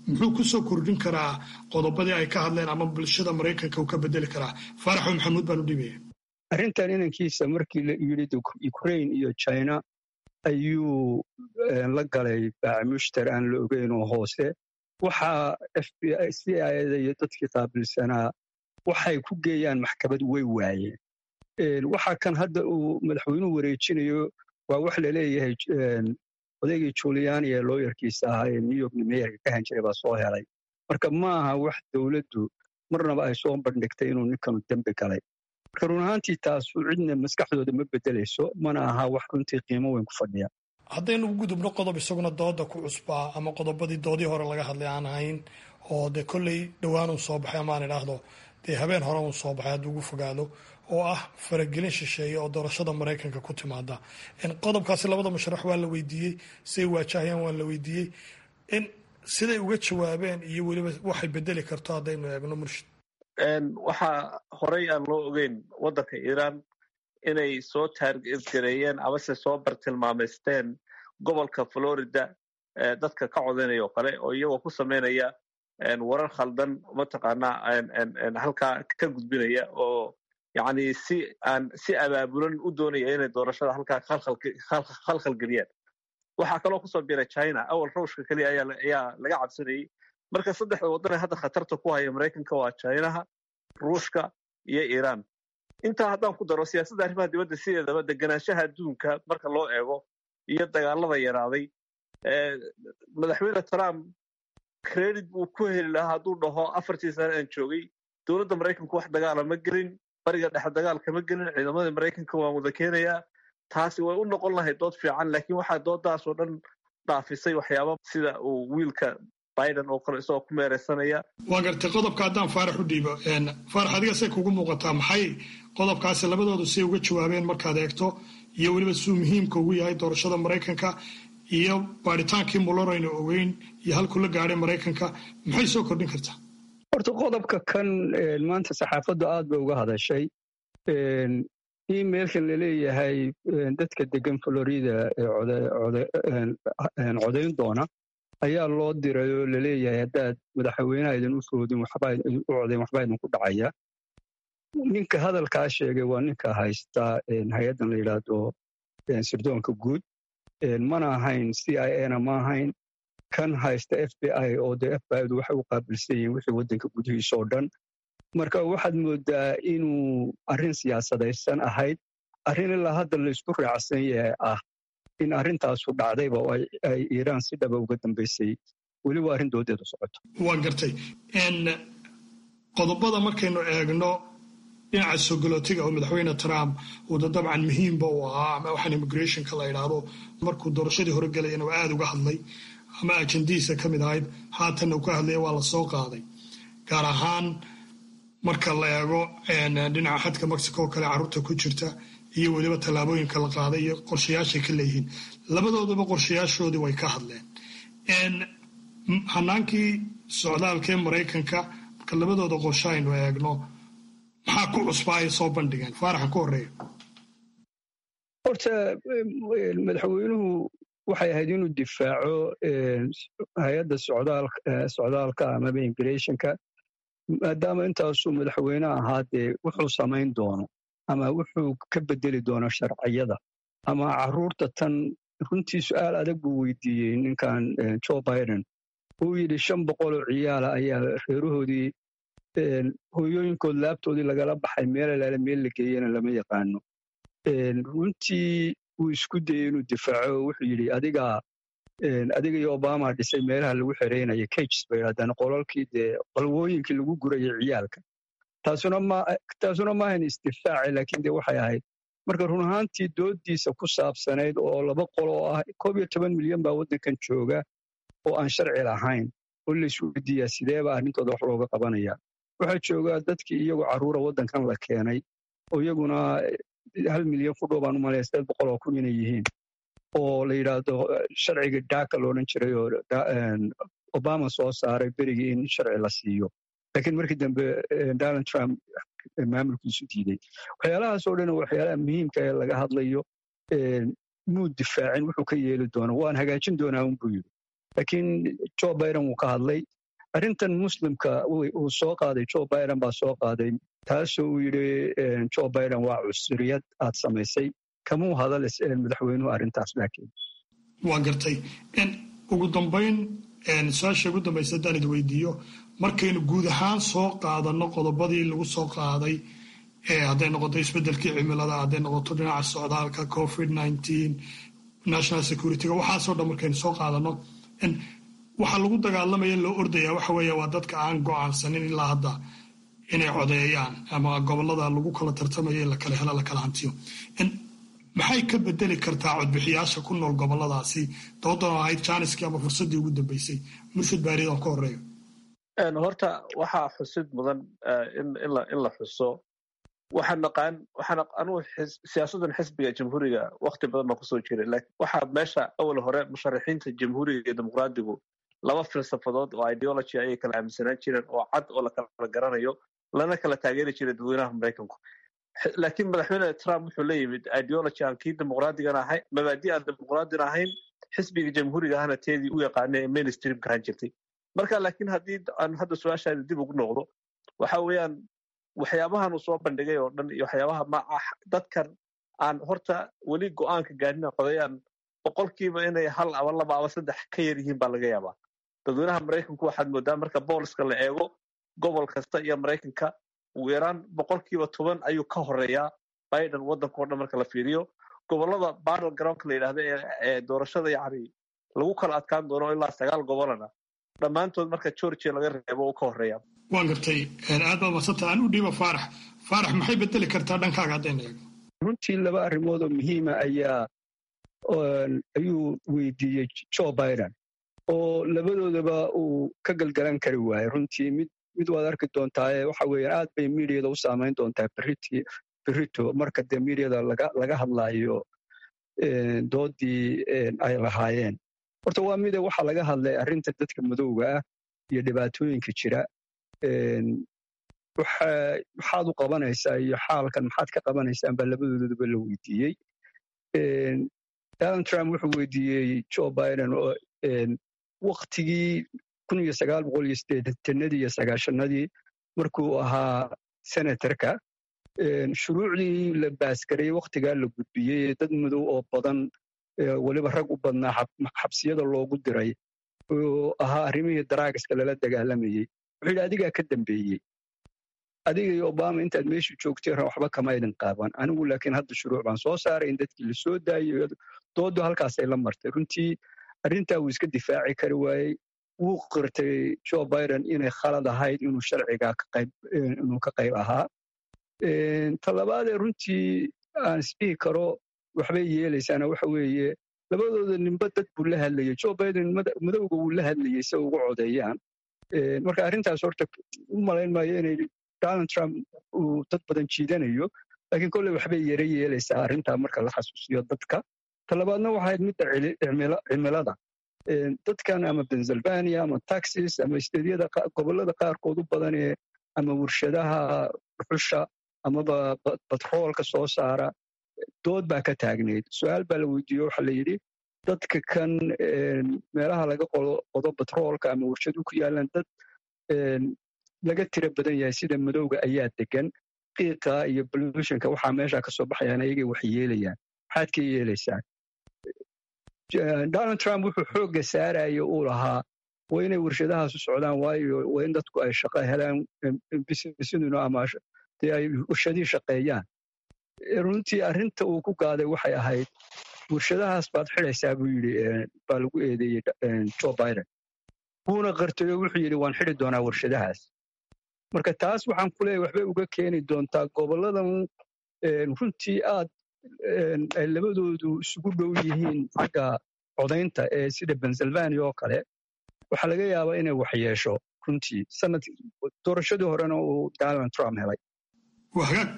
muxuu kusoo kordhin karaa qodobadii ay ka hadleen ama bulshada Maraykanka uu ka bedeli karaa? Faaraxo Maxamuud baan u dhibaya. Arrintan inankiisa markii la yidhi Ukraine iyo China ayuu la galay baaci mushtar aan la ogeyn oo hoose, waxaa FBI, CIA iyo dadkii qaabilsanaa waxay ku geeyaan maxkamad way waayeen. Waxa kan hadda uu madaxweynuhu wareejinayo waa wax laleeyahay odaygii Giuliani ee lawyerkiisa ahaa ee New York mayorka ka han jiray baa soo helay. Marka ma aha wax dowladdu marnaba ay soo bandhigtay inuu ninkanu dembi galay. Marka run ahaantii taasu cidna maskaxdooda ma bedelayso, mana aha wax runtii qiimo weyn ku fadhiya. Haddaynu u gudubno qodob isaguna dooda ku cusbaa ama qodobadii doodii hore laga hadlay aan ahayn, oo dee kolley dhowaan uu soo baxay, amaan idhaahdo dee habeen hore uu soo baxay hadduu ugu fogaado, oo ah faragelin shisheeye oo doorashada Maraykanka ku timaada. Qodobkaasi labada musharax waa la weydiiyey, siay waajahayaan waa la weydiiyey, in siday uga jawaabeen iyo weliba waxay bedeli karto haddaynu eegno, Murshid. Waxaa horey aan loo ogeyn waddanka Iiraan inay soo target gareeyeen amase soo bartilmaameysteen gobolka Florida dadka ka codaynaya oo kale, oo iyagoo ku sameynaya warar khaldan mataqaanaa halkaa ka gudbinaya, oo yacni si aan si abaabulan u doonaya inay doorashada halkaa khalkhal geliyaan. Waxaa kaloo kusoo biiray China. Awal Ruushka keliya ayaa laga cabsanayey. Marka saddexda waddan ee hadda khatarta ku haya Maraykanka waa Chinaha, Ruushka iyo Iiraan. Intaa haddaan ku daro siyaasadda arrimaha dibadda, sideedaba deganaanshaha adduunka marka loo eego iyo dagaalada yaraaday, madaxweyne Trump credit buu ku heli lahaa hadduu dhaho 4-tii sane aan joogay dowladda Maraykanku wax dagaala ma gelin, Bariga Dhexe dagaal kama gelin, ciidamada Maraykanka waan wada keenayaa. Taasi way u noqon lahayd dood fiican, laakiin waxaa doodaas oo dhan dhaafisay waxyaaba sida uu wiilka Biden oo kale isagoo ku meereysanaya. Waa gartay. Qodobka haddaan Faarax u dhiibo, Faarax, adiga say kugu muuqataa maxay qodobkaasi labadoodu say uga jawaabeen markaad eegto, iyo weliba siduu muhiimka ugu yahay doorashada Maraykanka, iyo baaritaankii Mueller aynu ogeyn iyo halkuu la gaadhay Maraykanka, maxay soo kordhin kartaa? Horta qodobka kan maanta saxaafaddu aad bay uga hadashay. Emailkan laleeyahay dadka degan Florida ee codayn doona Ayaa loo diray oo laleeyahay haddaad madaxweynaha idin u foodin, waxbaa u codayn, waxbaa idinku dhacaya. Ninka hadalkaa sheegay waa ninka haysta hay-addan la yidhaahdo sirdoonka guud. Mana ahayn CIA na ma ahayn, kan haysta FBI, oo dee FBI du waxay u qaabilsan yihiin wixii waddanka gudihiisa oo dhan. Marka waxaad moodaa inuu arrin siyaasadaysan ahayd, arrin ilaa hadda laysku raacsan yahay ah in arrintaasu dhacdayba oo ay Iiraan si dhaba uga dambaysay. Weli waa arrin doodeedu socoto. Waan gartay. Qodobada markaynu eegno dhinaca sogolootiga oo madaxweyne Trump uu da dabcan muhiimba u ahaa, ama waxaan immigrationka la idhaahdo, markuu doorashadii hore gelayana waa aada uga hadlay ama ajandihiisa ka mid ahayd, haatanna uu ka hadlaya, waa la soo qaaday, gaar ahaan marka la eego dhinaca xadka Mexico oo kale, carruurta ku jirta iyo weliba tallaabooyinka la qaaday iyo qorshayaashay ka leeyihiin. Labadoodaba qorshayaashoodii way ka hadleen. Hanaankii socdaalka ee Maraykanka, marka labadooda qorshe aynu eegno, maxaa ku cusbaa ay soo bandhigeen? Faaraxan ku horreeya. Horta madaxweynuhu waxay ahayd inuu difaaco hay-adda socdaalka amaba immigrationka, maadaama intaasuu madaxweyne ahaa, dee wuxuu samayn doono ama wuxuu ka bedeli doono sharciyada ama caruurta tan. Runtii su-aal adag buu weydiiyey ninkan Joe Biden. Uu yidhi 500 oo ciyaala ayaa reerahoodii, hooyooyinkood laabtoodii lagala baxay, meel alaale meel la geeyena lama yaqaano. Runtii wuu isku dayey inuu difaaco. Wuxuu yidhi adiga iyo Obama dhisay meelaha lagu xereynaya, cages bay yidhahdaan, qolalkii dee qalwooyinkii lagu gurayay ciyaalka. Taasuna maahan isdifaaci, laakiin dee waxay ahayd marka run ahaantii doodiisa ku saabsanayd oo laba qolo oo ah 11 milyan baa waddankan jooga oo aan sharci lahayn, oo la isweydiiyaa sideeba arrintooda wax looga qabanaya. Waxaa jooga dadkii iyagoo carruura waddankan la keenay oo iyaguna 1 milyan ku dhow baan u malaya, 800,000 inay yihiin, oo la yidhaahdo sharciga DACA la odhan jiray oo Obama soo saaray berigii in sharci la siiyo, laakiin markii dambe Donald Trump maamulkiisu diiday. Waxyaalahaas oo dhan waxyaalaha muhiimka ee laga hadlayo. Muu difaacin wuxuu ka yeeli doono, waan hagaajin doonaa unbuu yidhi, laakiin Joe Biden wuu ka hadlay arrintan. Muslimka uu soo qaaday, Joe Biden baa soo qaaday, taasoo uu yidhi Joe Biden waa cunsuriyad aad samaysay. Kamuu hadal madaxweynuhu arrintaas laakiin. Waa gartay. Ugu dambayn, su-aasha ugu dambaysa haddaan idi weydiiyo, markaynu guud ahaan soo qaadano qodobadii lagu soo qaaday, hadday noqoto isbeddelkii cimilada, hadday noqoto dhinaca socdaalka, COVID-19, national securityga, waxaasoo dhan markaynu soo qaadano, waxaa lagu dagaalamaya, loo ordaya waxa weeye waa dadka aan go'aansanin ilaa hadda inay codeeyaan ama gobolada lagu kala tartamayo in la kala helo, la kala hantiyo. Maxay ka bedeli kartaa codbixiyaasha ku nool goboladaasi doodan oo ahayd jaaniskii ama fursaddii ugu dambeysay? Murshid Baaridan ka horeeyo. Horta waxaa xusid mudan in la xuso, waxaan naqaan, waxaan anugu siyaasaddan xisbiga Jamhuuriga wakti badan baan kusoo jiray, laakiin waxaa meesha awal hore musharaxiinta Jamhuuriga iyo Dimuqraadigu laba filsafadood oo ideology ayay kala aaminsanaan jireen oo cad oo la kala garanayo, lana kala taageeri jiray dadweynaha Maraykanku. Laakiin madaxweyne Trump wuxuu la yimid ideology aan kii dimuqraadigana ahayn, mabaadi aan dimuqraadina ahayn, xisbiga Jamhuuriga ahna teedii u yaqaanay ee mainstreamka ahaan jirtay. Marka laakiin haddii aan hadda su-aashaada dib ugu noqdo, waxa weeyaan waxyaabahan uu soo bandhigay oo dhan iyo waxyaabaha ma dadkan aan horta weli go'aanka gaadhin codayaan, boqolkiiba inay hal ama laba ama saddex ka yar yihiin baa laga yaabaa. Dadweynaha Maraykanku waxaad moodaa marka pollska la eego gobol kasta iyo Maraykanka, ugu yaraan 10% ayuu ka horeeyaa Biden waddanka o dhan marka la fiiriyo. Gobolada battle groundka la yidhahda ee doorashada yacni lagu kala adkaan doono, ilaa sagaal gobolana, dhammaantood marka Georgia laga reebo uu ka horeeya. Waan gartay, aad baad madsanta. Aan u dhiiba Faarax. Faarax, maxay bedeli kartaa dhankaaga haddayna eegno? Runtii laba arrimood oo muhiima ayuu weydiiyey Joe Biden oo labadoodaba uu ka galgalan kari waayey. Runtii mid waad arki doontaaye, waxa weeyaan aad bay mediada u saamayn doontaa berrito marka dee mediada laga hadlaayo doodii ay lahaayeen. Horta waa mide, waxaa laga hadlay arrinta dadka madowga ah iyo dhibaatooyinka jira, maxaad u qabanaysaa iyo xaalkan maxaad ka qabanaysaan baa labadoodaba la weydiiyey. Donald Trump wuxuu weydiiyey Joe Biden oo Waktigii 1980-adii iyo 90-adii markuu ahaa senatorka, shuruucdii la baasgareeyey wakhtigaa la gudbiyey, dad madow oo badan, weliba rag u badnaa, xabsiyada loogu diray oo ahaa arrimihii daraagiska lala dagaalamayey, wuxuu yidhi adigaa ka dambeeyey, adiga iyo Obama intaad meeshu joogtay waxba kama idin qaaban, anigu laakiin hadda shuruuc baan soo saaray in dadkii la soo daayey. Doodu halkaasay la martay. Runtii arrintaa wuu iska difaaci kari waayey. Wuu qirtay Joe Biden inay khalad ahayd inuu sharcigaa inuu ka qayb ahaa. Talabaadee runtii aan isdhihi karo waxbay yeelaysaana waxa weeye, labadooda ninba dad buu la hadlayey. Joe Biden madowga wuu la hadlayey si ugu codeeyaan. Marka arrintaas horta u malayn maayo inay Donald Trump uu dad badan jiidanayo, laakiin kolley waxbay yara yeelaysaa arrintaa marka la xasuusiyo dadka. Talabaadna waxay ahayd midda cimilada. Dadkan ama Pennsylvania ama Texas ama isteedyada gobollada qaarkood u badan ee ama warshadaha dhuxusha amaba batroolka soo saara, dood baa ka taagnayd. Su-aal baa la weydiiye, waxaa la yidhi dadka kan meelaha laga qodo batroolka ama warshadu ku yaalaan, dad laga tiro badan yahay sida madowga ayaa degan, qiiqa iyo pollutionka waxaa meesha ka soo baxayaan ayagay wax yeelayaan, maxaad ka yeelaysaa? Donald Trump wuxuu xoogga saaraya uu lahaa waa inay warshadahaasu socdaan, waayo waa in dadku ay shaqo helaan, businessaduna ama dee ay warshadihii shaqeeyaan. Runtii arrinta uu ku gaaday waxay ahayd warshadahaas baad xidhaysaa buu yidhi, baa lagu eedeeyey Joe Biden, wuuna qartayo, wuxuu yidhi waan xidhi doonaa warshadahaas. Marka taas waxaan ku leeyahay waxbay uga keeni doontaa gobolladan runtii aad ay labadoodu isugu dhow yihiin xagga codaynta ee sida Pennsylvania oo kale. Waxaa laga yaabaa inay wax yeesho runtii, sanad doorashadii horena uu Donald Trump helay. Waa hagaag,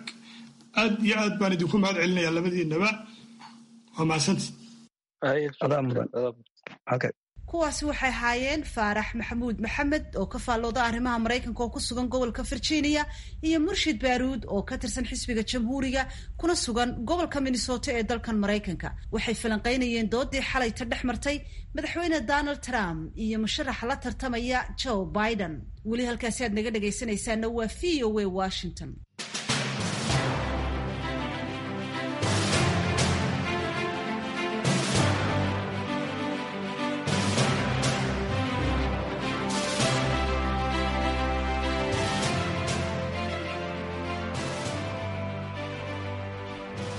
aad iyo aad baan idinku mahad celinayaa labadiinaba, waa mahadsanti. Kuwaasi waxay ahaayeen Faarax Maxamuud Maxamed oo ka faallooda arrimaha Maraykanka oo ku sugan gobolka Virginia, iyo Murshid Baaruud oo ka tirsan xisbiga Jamhuuriga kuna sugan gobolka Minnesota ee dalkan Maraykanka. Waxay falanqaynayeen doodii xalayta dhex martay madaxweyne Donald Trump iyo musharaxa la tartamaya Joe Biden. Weli halkaasi aad naga dhegaysanaysaana waa VOA Washington.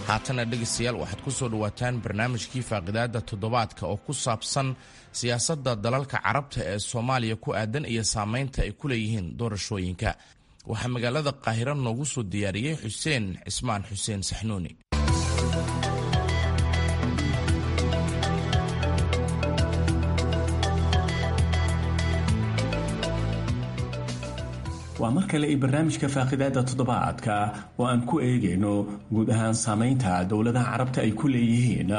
Haatana dhegaystayaal, waxaad ku soo dhowaataan barnaamijkii faaqidaada toddobaadka oo ku saabsan siyaasadda dalalka Carabta ee Soomaaliya ku aadan iyo saamaynta ay ku leeyihiin doorashooyinka. Waxaa magaalada Qaahiro noogu soo diyaariyey Xuseen Cismaan Xuseen Saxnuuni. Waa mar kale i barnaamijka faaqidaada toddobaadka oo aan ku eegayno guud ahaan saamaynta dowladaha Carabta ay ku leeyihiin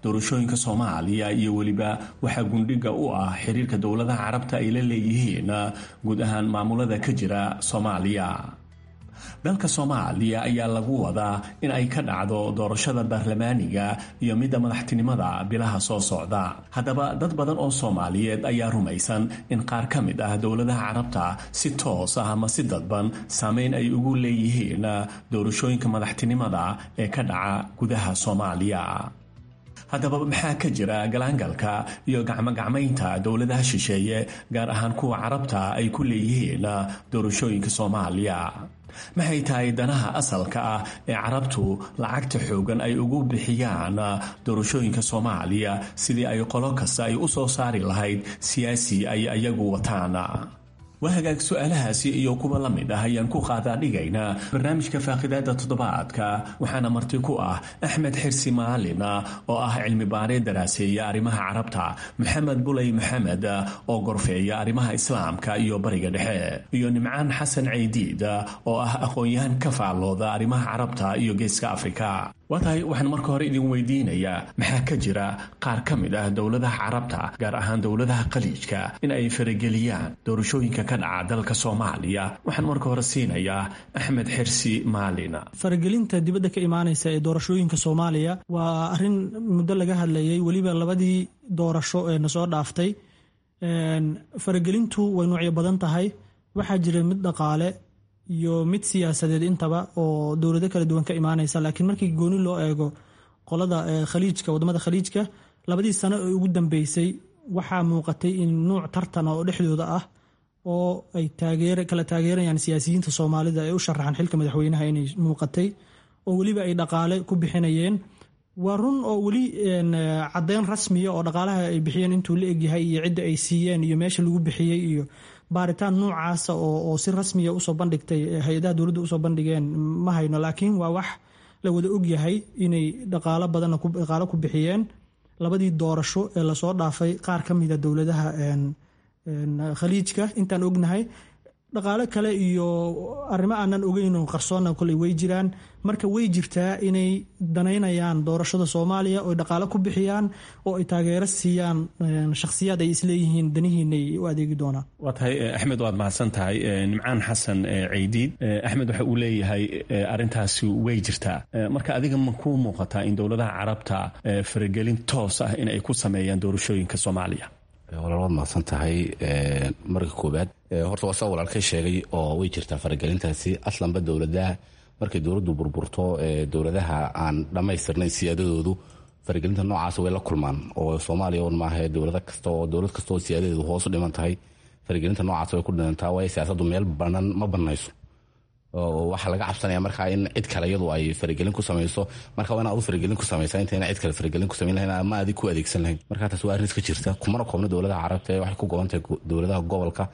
doorashooyinka Soomaaliya iyo weliba waxaa gundhiga u ah xiriirka dowladaha Carabta ay la leeyihiin guud ahaan maamulada ka jira Soomaaliya. Dalka Soomaaliya ayaa lagu wadaa in ay ka dhacdo doorashada baarlamaaniga iyo midda madaxtinimada bilaha soo socda. Haddaba dad badan oo Soomaaliyeed ayaa rumaysan in qaar ka mid ah dowladaha Carabta si toos ah ama si dadban saameyn ay ugu leeyihiin doorashooyinka madaxtinimada ee ka dhaca gudaha Soomaaliya. Haddaba maxaa ka jira galaangalka iyo gacmogacmaynta dowladaha shisheeye, gaar ahaan kuwa Carabta, ay ku leeyihiin doorashooyinka Soomaaliya? Maxay tahay danaha asalka ah ee Carabtu lacagta xoogan ay ugu bixiyaan doorashooyinka Soomaaliya sidii ay qolo kasta ay u soo saari lahayd siyaasi ay ayagu wataan? Waa hagaag, su-aalahaasi iyo kuwa la mid ah ayaan ku qaadaa dhigaynaa barnaamijka faaqidaada toddobaadka. Waxaana marti ku ah Axmed Xirsi Maalin oo ah cilmi baaree daraaseeya arrimaha Carabta, Maxamed Buley Maxamed oo gorfeeya arrimaha Islaamka iyo Bariga Dhexe, iyo Nimcaan Xasan Ceydiid oo ah aqoon-yahan ka faallooda arrimaha Carabta iyo Geeska Afrika. Waa tahay, waxaan marka hore idin weydiinayaa, maxaa ka jira qaar ka mid ah dowladaha Carabta, gaar ahaan dowladaha Khaliijka, in ay farageliyaan doorashooyinka ka dhaca dalka Soomaaliya? Waxaan marka hore siinayaa Axmed Xirsi Maalin. Faragelinta dibadda ka imaanaysa ee doorashooyinka Soomaaliya waa arrin muddo laga hadlayay, weliba labadii doorasho ee na soo dhaaftay. Faragelintu way noocyo badan tahay. Waxaa jira mid dhaqaale iyo mid siyaasadeed intaba oo dowlado kala duwan ka imaanaysa, laakiin markii gooni loo eego qolada khaliijka, wadamada khaliijka, labadii sano ee ugu dambeysay waxaa muuqatay in nuuc tartan oo dhexdooda ah oo ay kala taageerayaan siyaasiyiinta Soomaalida ee u sharaxan xilka madaxweynaha inay muuqatay, oo weliba ay dhaqaale ku bixinayeen. Waa run oo weli caddeyn rasmiya oo dhaqaalaha ay bixiyeen intuu la egyahay iyo cidda ay siiyeen iyo meesha lagu bixiyey iyo baaritaan noocaasa oo si rasmiya usoo bandhigtay hay-adaha dowladda usoo bandhigeen ma hayno, laakiin waa wax la wada ogyahay inay dhaqaalo badanna dhaqaalo ku bixiyeen labadii doorasho ee lasoo dhaafay qaar ka mida dowladaha khaliijka. Intaan ognahay dhaqaalo kale iyo arrimo aanan ogeyn oo qarsoonna koley way jiraan. Marka way jirtaa inay danaynayaan doorashada Soomaaliya oo dhaqaalo ku bixiyaan oo ay taageero siiyaan shakhsiyaad ay isleeyihiin danihiinay u adeegi doonaan. Waa tahay Axmed, waad mahadsan tahay. Nimcaan Xasan Ceydiid, Axmed waxa uu leeyahay arrintaasi way jirtaa. Marka adiga ma kuu muuqataa in dowladaha Carabta faragelin toos ah in ay ku sameeyaan doorashooyinka Soomaaliya? Walaal, waad mahadsan tahay. Marka koobaad horta waa saa walaalkay sheegay oo way jirtaa faragelintaasi. Aslanba dowladaha markay dowladdu burburto, dowladaha aan dhammaystirnayn siyaadadoodu faragelinta noocaas way la kulmaan, oo Soomaaliya un maaha, dowlad kasta oo dowlad kasta oo siyaadadeedu hoos u dhiman tahay faragelinta noocaas way ku dhimantaa, waayo siyaasaddu meel banan ma banayso. Waxaa laga cabsanaya markaa in cid kale iyadu ay faragelin ku samayso. Marka waa in aad u faragelin ku samaysa intayna cid kale faragelin ku samayn lahayn ama adig ku adeegsan lahayn. Marka taas waa arrin iska jirta, kumana koobna dowladaha Carabta ee waxay ku goban tahay dowladaha gobolka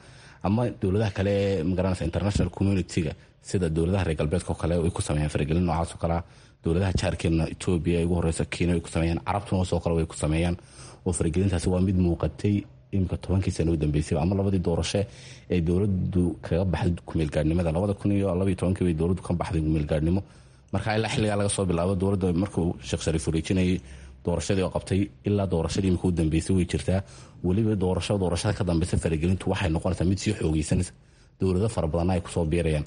ama dowladaha kale ee magaranaysa international community-ga, sida dowladaha reer galbeedka oo kale way ku sameeyaan faragelin noocaas oo kalea. Dowladaha jaarkeena, Etoobiya ay ugu horeysa, Kenya way ku sameeyaan, Carabtuna soo kale way ku sameeyaan. Oo faragelintaasi waa mid muuqatay imika 10kii sano u dambeysay ama labadii doorasho ee dowladdu kaga baxday kumeelgaadhnimada. 2012kii bay dowladdu ka baxday kumeelgaadhnimo. Marka ilaa xilligaa laga soo bilaabo dowladda markuu Sheekh Shariif wareejinayay doorashadii oo qabtay ilaa doorashadii imika u dambeysay way jirtaa. Weliba doorasho doorashada ka dambeysa faragelintu waxay noqonaysaa mid sii xoogeysanaysa, dowlado fara badanna ay kusoo biirayaan,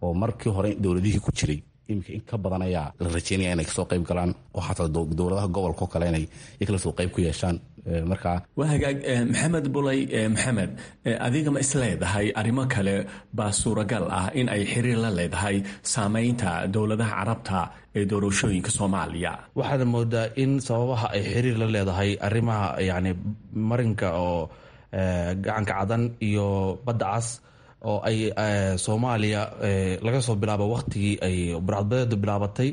oo markii hore dowladihii ku jiray imika in ka badan ayaa la rajeynaya inay kasoo qayb galaan, oo xataa dowladaha gobolka oo kale inay iyakala soo qayb ku yeeshaan. Markaa waa hagaag. Maxamed Bulay Maxamed, adiga ma isleedahay arrimo kale baa suuragal ah in ay xiriir la leedahay saameynta dowladaha Carabta ee doorashooyinka Soomaaliya? Waxaad moodaa in sababaha ay xiriir la leedahay arrimaha yacni marinka oo gacanka Cadan iyo Badda Cas oo ay Soomaaliya laga soo bilaabo wakhtigii ay burcadbadeedu bilaabatay,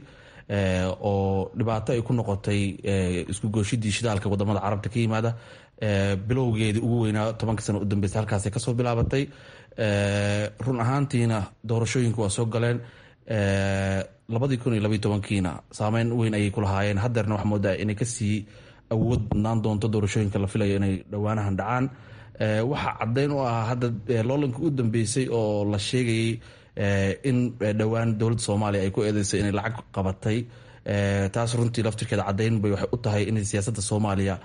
oo dhibaato ay ku noqotay isku gooshidii shidaalka wadamada Carabta ka yimaada. Bilowgeedii ugu weynaa 10ka sano u dambeysay halkaasay kasoo bilaabatay. Run ahaantiina doorashooyinku waa soo galeen 2012kiina, saameyn weyn ayay ku lahaayeen. Haddeerna waxaa moodaa inay kasii awood badnaan doonto doorashooyinka la filayo inay dhowaanahan dhacaan. Waxaa caddeyn u ah hadda loolanka u dambeysay oo la sheegayay in dhowaan dowladda Soomaaliya ay ku eedeysay inay lacag qabatay. Taas runtii laftirkeeda caddeyn bay waxay u tahay in siyaasadda Soomaaliya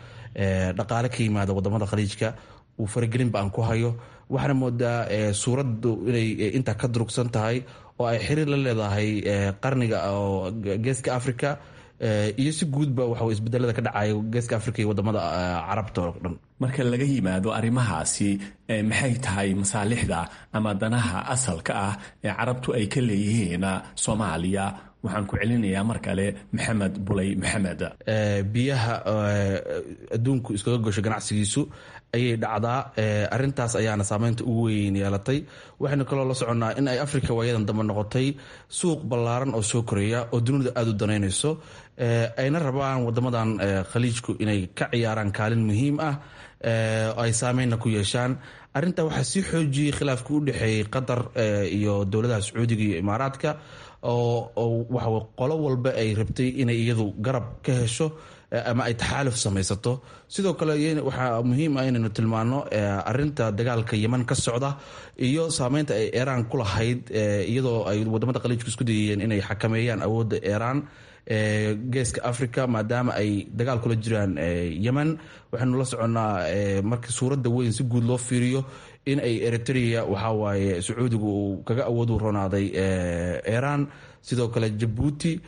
dhaqaale ka yimaada wadamada khaliijka uu faragelinba aan ku hayo. Waxaana moodaa suuraddu inay intaa ka durugsan tahay oo ay xiriir la leedahay qarniga oo Geeska Africa iyo si guudba waxa isbedelada ka dhacaya Geeska Africa iyo wadamada Carabta oo dhan. Marka laga yimaado arrimahaasi, maxay tahay masaalixda ama danaha asalka ah ee Carabtu ay ka leeyihiin Soomaaliya? Waxaan ku celinayaa mar kale Maxamed Bulay Maxamed. Biyaha adduunku iskaga gosho ganacsigiisu ayay dhacdaa. Arrintaas ayaana saameynta ugu weyn yeelatay. Waxaynu kaloo la soconnaa in ay Africa waayadan dambe noqotay suuq ballaaran oo soo koreeya oo dunida aada u danaynayso, ayna rabaan wadamadan khaliijku inay ka ciyaaraan kaalin muhiim ah oo ay saameynna ku yeeshaan. Arrintaa waxaa sii xoojiyey khilaafkii u dhexeeyey Qatar iyo dowladaha Sacuudiga iyo Imaaraadka, oo waxa qolo walba ay rabtay inay iyadu garab ka hesho ama ay taxaaluf samaysato. Sidoo kale waxaa muhiim ah inaynu tilmaano arinta dagaalka Yeman ka socda iyo saameynta ay Iiraan ku lahayd, iyadoo ay wadamada khaliijku isku dayayeen inay xakameeyaan awoodda Iiraan Geeska Africa, maadaama ay dagaal kula jiraan Yemen. Waxaynu la soconnaa marka suuradda weyn si guud loo fiiriyo in ay Eritrea waxawaaye Sacuudigu uu kaga awood u ronaaday Iiraan, sidoo kale Jabuuti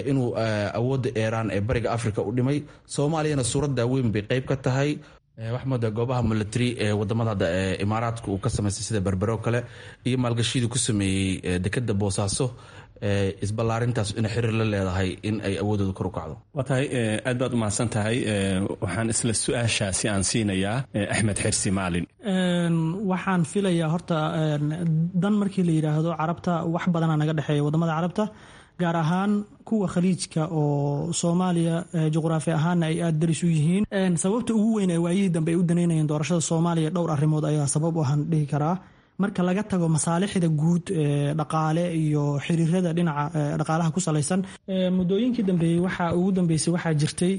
inuu awoodda Iiraan ee Bariga Africa u dhimay. Soomaaliyana suuradda weyn bay qayb ka tahay. Waxaa moodaa goobaha military ee wadamada hadda ee Imaaraadka uu ka samaystay sida Berbero kale iyo maalgashiyadii ku sameeyey dekeda Boosaaso, isballaarintaas inay xiriir la leedahay in ay awoodooda kor u kacdo. Waa tahay, aad baad umahadsan tahay. Waxaan isla su-aashaasi aan siinayaa Axmed Xirsi Maalin. Waxaan filayaa horta dan markii la yidhaahdo Carabta, wax badanaa naga dhexeeya wadamada Carabta, gaar ahaan kuwa Khaliijka oo Soomaaliya juqraafi ahaanna ay aada daris u yihiin. Sababta ugu weyn ee waayihii dambe ay u daneynayeen doorashada Soomaaliya, dhowr arrimood ayaa sabab u ahan dhihi karaa, marka laga tago masaalixda guud ee dhaqaale iyo xiriirada dhinaca dhaqaalaha ku salaysan. Muddooyinkii dambeeyey, waxaa ugu dambeysay, waxaa jirtay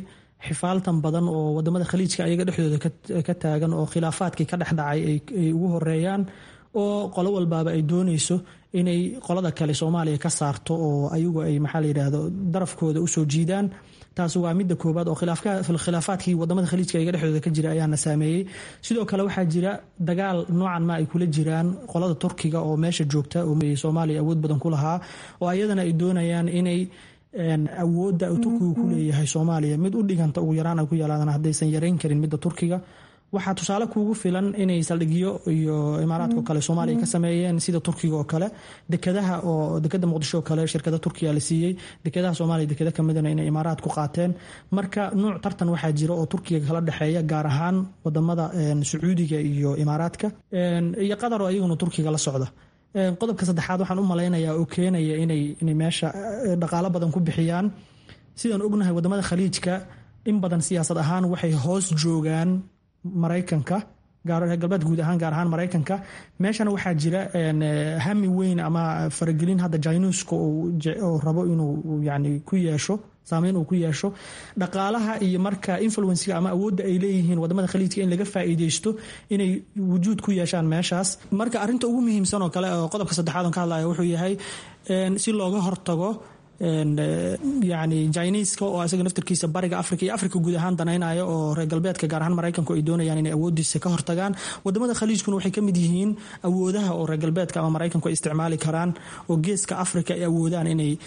xifaaltan badan oo wadamada Khaliijka ayaga dhexdooda ka taagan, oo khilaafaadkii ka dhex dhacay ay ugu horeeyaan, oo qolo walbaaba ay dooneyso inay qolada kale Soomaaliya ka saarto oo ayagu ay, maxaa la yidhaahdo, darafkooda usoo jiidaan. Taas waa midda koobaad, oo khilaafaadkii wadamada Khaliijka iyaga dhexdooda ka jira ayaana saameeyey. Sidoo kale waxaa jira dagaal noocan ma ay kula jiraan qolada Turkiga oo meesha joogta oo Soomaaliya awood badan ku lahaa, oo ayadana ay doonayaan inay awoodda uu Turkigu ku leeyahay Soomaaliya mid u dhiganta ugu yaraan ay ku yeelaadaan, haddaysan yareyn karin midda Turkiga. Waxaa tusaale kuugu filan inay saldhigyo iyo Imaaraadka oo kale Soomaaliya ka sameeyeen, sida Turkiga oo kale, dekadaha, oo dekada Muqdisho oo kale shirkada Turkiya la siiyey, dekadaha Soomaaliya dekada kamidana inay Imaaraad ku qaateen. Marka nuuc tartan waxaa jira oo Turkiga kala dhexeeya, gaar ahaan wadamada Sacuudiga iyo Imaaraadka iyo Qatar oo iyaguna Turkiga la socda. Qodobka saddexaad waxaan u malaynayaa oo keenaya inay meesha dhaqaalo badan ku bixiyaan, sidaan ognahay wadamada Khaliijka in badan siyaasad ahaan waxay hoos joogaan Maraykanka, reer galbeed guud ahaan, gaar ahaan Maraykanka. Meeshana waxaa jira hami weyn ama faragelin hadda Jinuuska oo rabo inuu yani ku yeesho saameyn uu ku yeesho dhaqaalaha iyo marka influencega ama awoodda ay leeyihiin wadamada Khaliijka in laga faa'iideysto inay wujuud ku yeeshaan meeshaas. Marka arrinta ugu muhiimsan oo kale oo qodobka saddexaad on ka hadlaya wuxuu yahay si looga hortago yani Jiniiska oo isaga naftirkiisa bariga Africa iyo Africa guud ahaan danaynaya, oo reer galbeedka, gaar ahaan Maraykanku, ay doonayaan inay awoodiisa ka hortagaan. Wadamada Khaliijkuna waxay ka mid yihiin awoodaha oo reer galbeedka ama Maraykanku ay isticmaali karaan oo geeska Africa ay awoodaan inay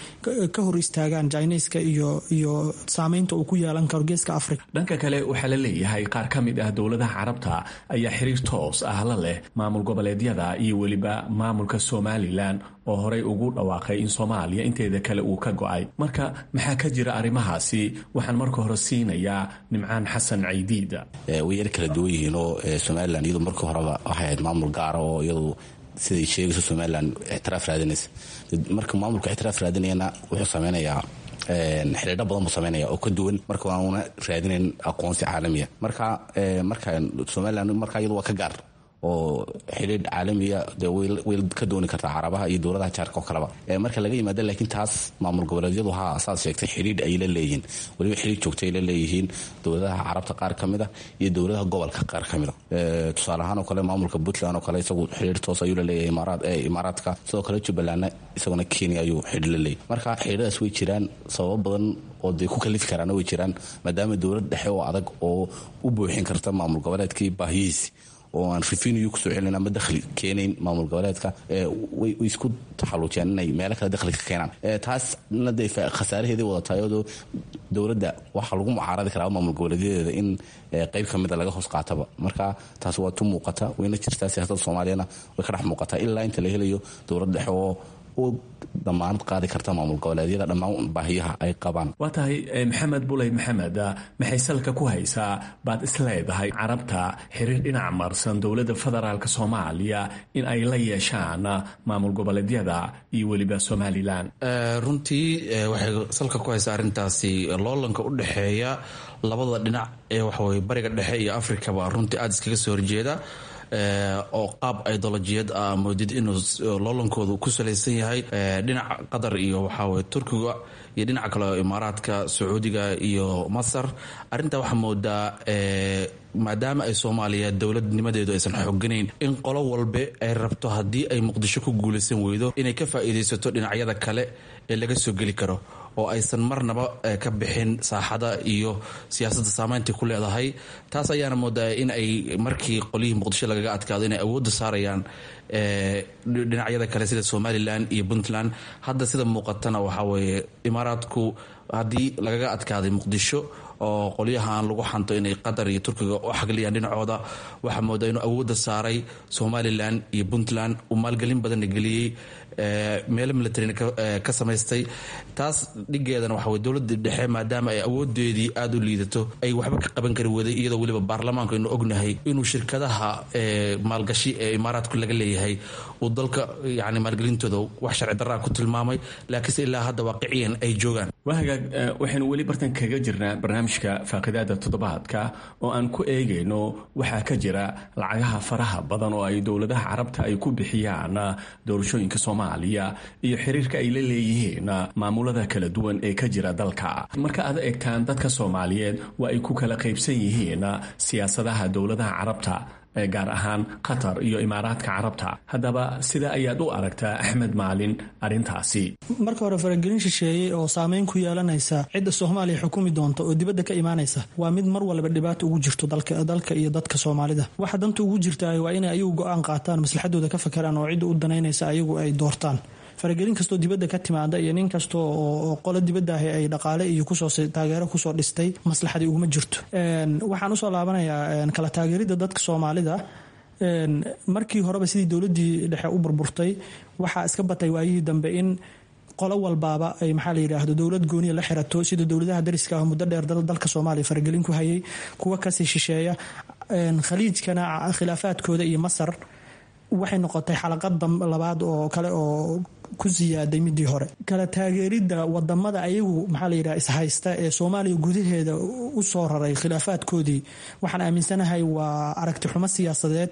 ka hor istaagaan Jiniiska iyo saameynta uu ku yeelan karo geeska Africa. Dhanka kale waxaa la leeyahay qaar ka mid ah dowladaha Carabta ayaa xiriir toos ah la leh maamul goboleedyada iyo weliba maamulka Somalilan oo horey ugu dhawaaqay in Soomaaliya inteeda kale uu ka go'ay. Marka maxaa ka jira arrimahaasi? Waxaan marka hore siinayaa Nimcaan Xasan Caydiida. Way yar kala duwan yihiinoo Somalilan iyadu markii horeba waxay ahayd maamul gaara oo iyadu siday sheegayso Somalilan ictiraaf raadinaysa. Marka maamulka ictiraaf raadinayana wuxuu sameynayaa xidhiidho badan buu sameynaya oo ka duwan marka waana raadinayn aqoonsi caalamiya. Marka Somalilan marka iyadu waa ka gaar oo xidhiidh caalamiya dee way ka dooni kartaa Carabaha iyo dowladaha jaarka oo kaleba marka laga yimaado. Laakiin taas maamul goboleedyadu haa, saad sheegtay, xidhiidh ay la leeyihiin, weliba xidhiidh joogta ay la leeyihiin dowladaha Carabta qaar ka mid a iyo dowladaha gobolka qaar ka mid a. Tusaale ahaan oo kale maamulka Puntland oo kale isagu xidhiidh toos ayuu la leeyahay Imaaraadka. Sidoo kale Jubbalandna isaguna Kenya ayuu xidhiidh la leeyahay. Marka xidhiidhadaas way jiraan, sababo badan oo dee ku kalifi karaana way jiraan, maadaama dowlad dhexe oo adag oo u buuxin karta maamul goboleedkii baahiyihiisi oo aan revenue kusoo celinayn ama dakhli keenayn maamul goboleedka, way isku taxaluujiyaan inay meelo kale dakhli ka keenaan. Taasna dee khasaaraheedii wadataa, iyadoo dowladda waxaa lagu mucaaradi karaa maamul goboleedyadeeda in qayb ka mida laga hoos qaataba. Marka taas waa tu muuqata, wayna jirtaa, siyaasadda Soomaaliyana way ka dhex muuqataa ilaa inta la helayo dowlad dhexe oo u damaanad qaadi karta maamul goboleedyada dhammaan baahiyaha ay qabaan. Waa tahay. Maxamed Buley Maxamed, maxay salka ku haysaa baad isleedahay Carabta xiriir dhinac marsan dowladda federaalk Soomaaliya in ay la yeeshaan maamul goboleedyada iyo weliba Somalilan? Runtii waxay salka ku haysaa arrintaasi loolanka u dhexeeya labada dhinac ee waxaweye bariga dhexe iyo Afrikaba runtii aada iskaga soo horjeeda, oo qaab idolojiyad ah moodid inuu loolankoodu ku salaysan yahay, dhinaca Qatar iyo waxaweye Turkiga iyo dhinaca kale oo Imaaraadka, Sacuudiga iyo Masar. Arrintaa waxaa moodaa maadaama ay Soomaaliya dowladnimadeedu aysan xooganayn in qolo walbe ay rabto haddii ay Muqdisho ku guulaysan weydo inay ka faa'iidaysato dhinacyada kale ee laga soo geli karo, oo aysan marnaba ka bixin saaxada iyo siyaasadda saameynta ku leedahay. Taas ayaana moodaa in ay markii qolyihii Muqdisho lagaga adkaado inay awoodda saarayaan dhinacyada kale sida Somalilan iyo Puntland. Hadda sida muuqatana waxaa weeye Imaaraadku Haddii lagaga adkaaday Muqdisho oo qolyahan lagu xanto inay Qatar iyo Turkiga u xagliyaan dhinacooda, waxaa moodaa inuu awoodda saaray Somalilan iyo Puntland, uu maalgelin badanna geliyey, meelo militarina ka samaystay. Taas dhigeedana waxa wey dowladda dhexe, maadaama ay awoodeedii aada u liidato, ay waxba ka qaban kari waday, iyadoo weliba baarlamaanku aynu ognahay inuu shirkadaha maalgashi ee Imaaraadku laga leeyahay uu dalka yani maalgelintooda wax sharci darraa ku tilmaamay, laakiinse ilaa hadda waaqiciyan ay joogaan. Waa hagaag, waxaynu weli bartan kaga jirnaa barnaamijka faaqidaada toddobaadka oo aan ku eegayno waxaa ka jira lacagaha faraha badan oo ay dowladaha Carabta ay ku bixiyaan doorashooyinka Soomaaliya iyo xiriirka ay la leeyihiin maamulada kala duwan ee ka jira dalka. Marka aad eegtaan, dadka Soomaaliyeed waa ay ku kala qaybsan yihiin siyaasadaha dowladaha Carabta, gaar ahaan Qatar iyo Imaaraadka Carabta. Haddaba sida ayaad u aragtaa, Axmed Maalin, arrintaasi? Marka hore, faragelin shisheeyey oo saameyn ku yeelanaysa cidda Soomaaliya xukumi doonta oo dibadda ka imaanaysa waa mid mar walba dhibaato ugu jirto dalka iyo dadka Soomaalida. Waxa danta ugu jirtaa waa inay ayagu go-aan qaataan, maslaxadooda ka fakaraan oo cidda u danaynaysa ayagu ay doortaan. Faragelin kastoo dibadda ka timaada iyo nin kasta oo qolo dibadda ahi ay dhaqaale iyo kusoo taageero kusoo dhistay, maslaxadii uguma jirto. Waxaan usoo laabanayaa kala taageeridda dadka Soomaalida. Markii horeba sidii dowladdii dhexe u burburtay, waxaa iska batay waayihii dambe in qolo walbaaba ay, maxaa la yidhaahdo, dowlad gooniya la xirato, sida dowladaha dariska ah muddo dheer dalka Soomaaliya faragelin ku hayay, kuwa kasii shisheeya Khaliijkana khilaafaadkooda iyo Masar. Waxay noqotay xalaqad labaad oo kale oo ku siyaaday midii hore. Kala taageeridda wadamada ayagu, maxaa la yidhaha, ishaysta ee Soomaaliya gudaheeda u soo raray khilaafaadkoodii, waxaan aaminsanahay waa aragti xumo siyaasadeed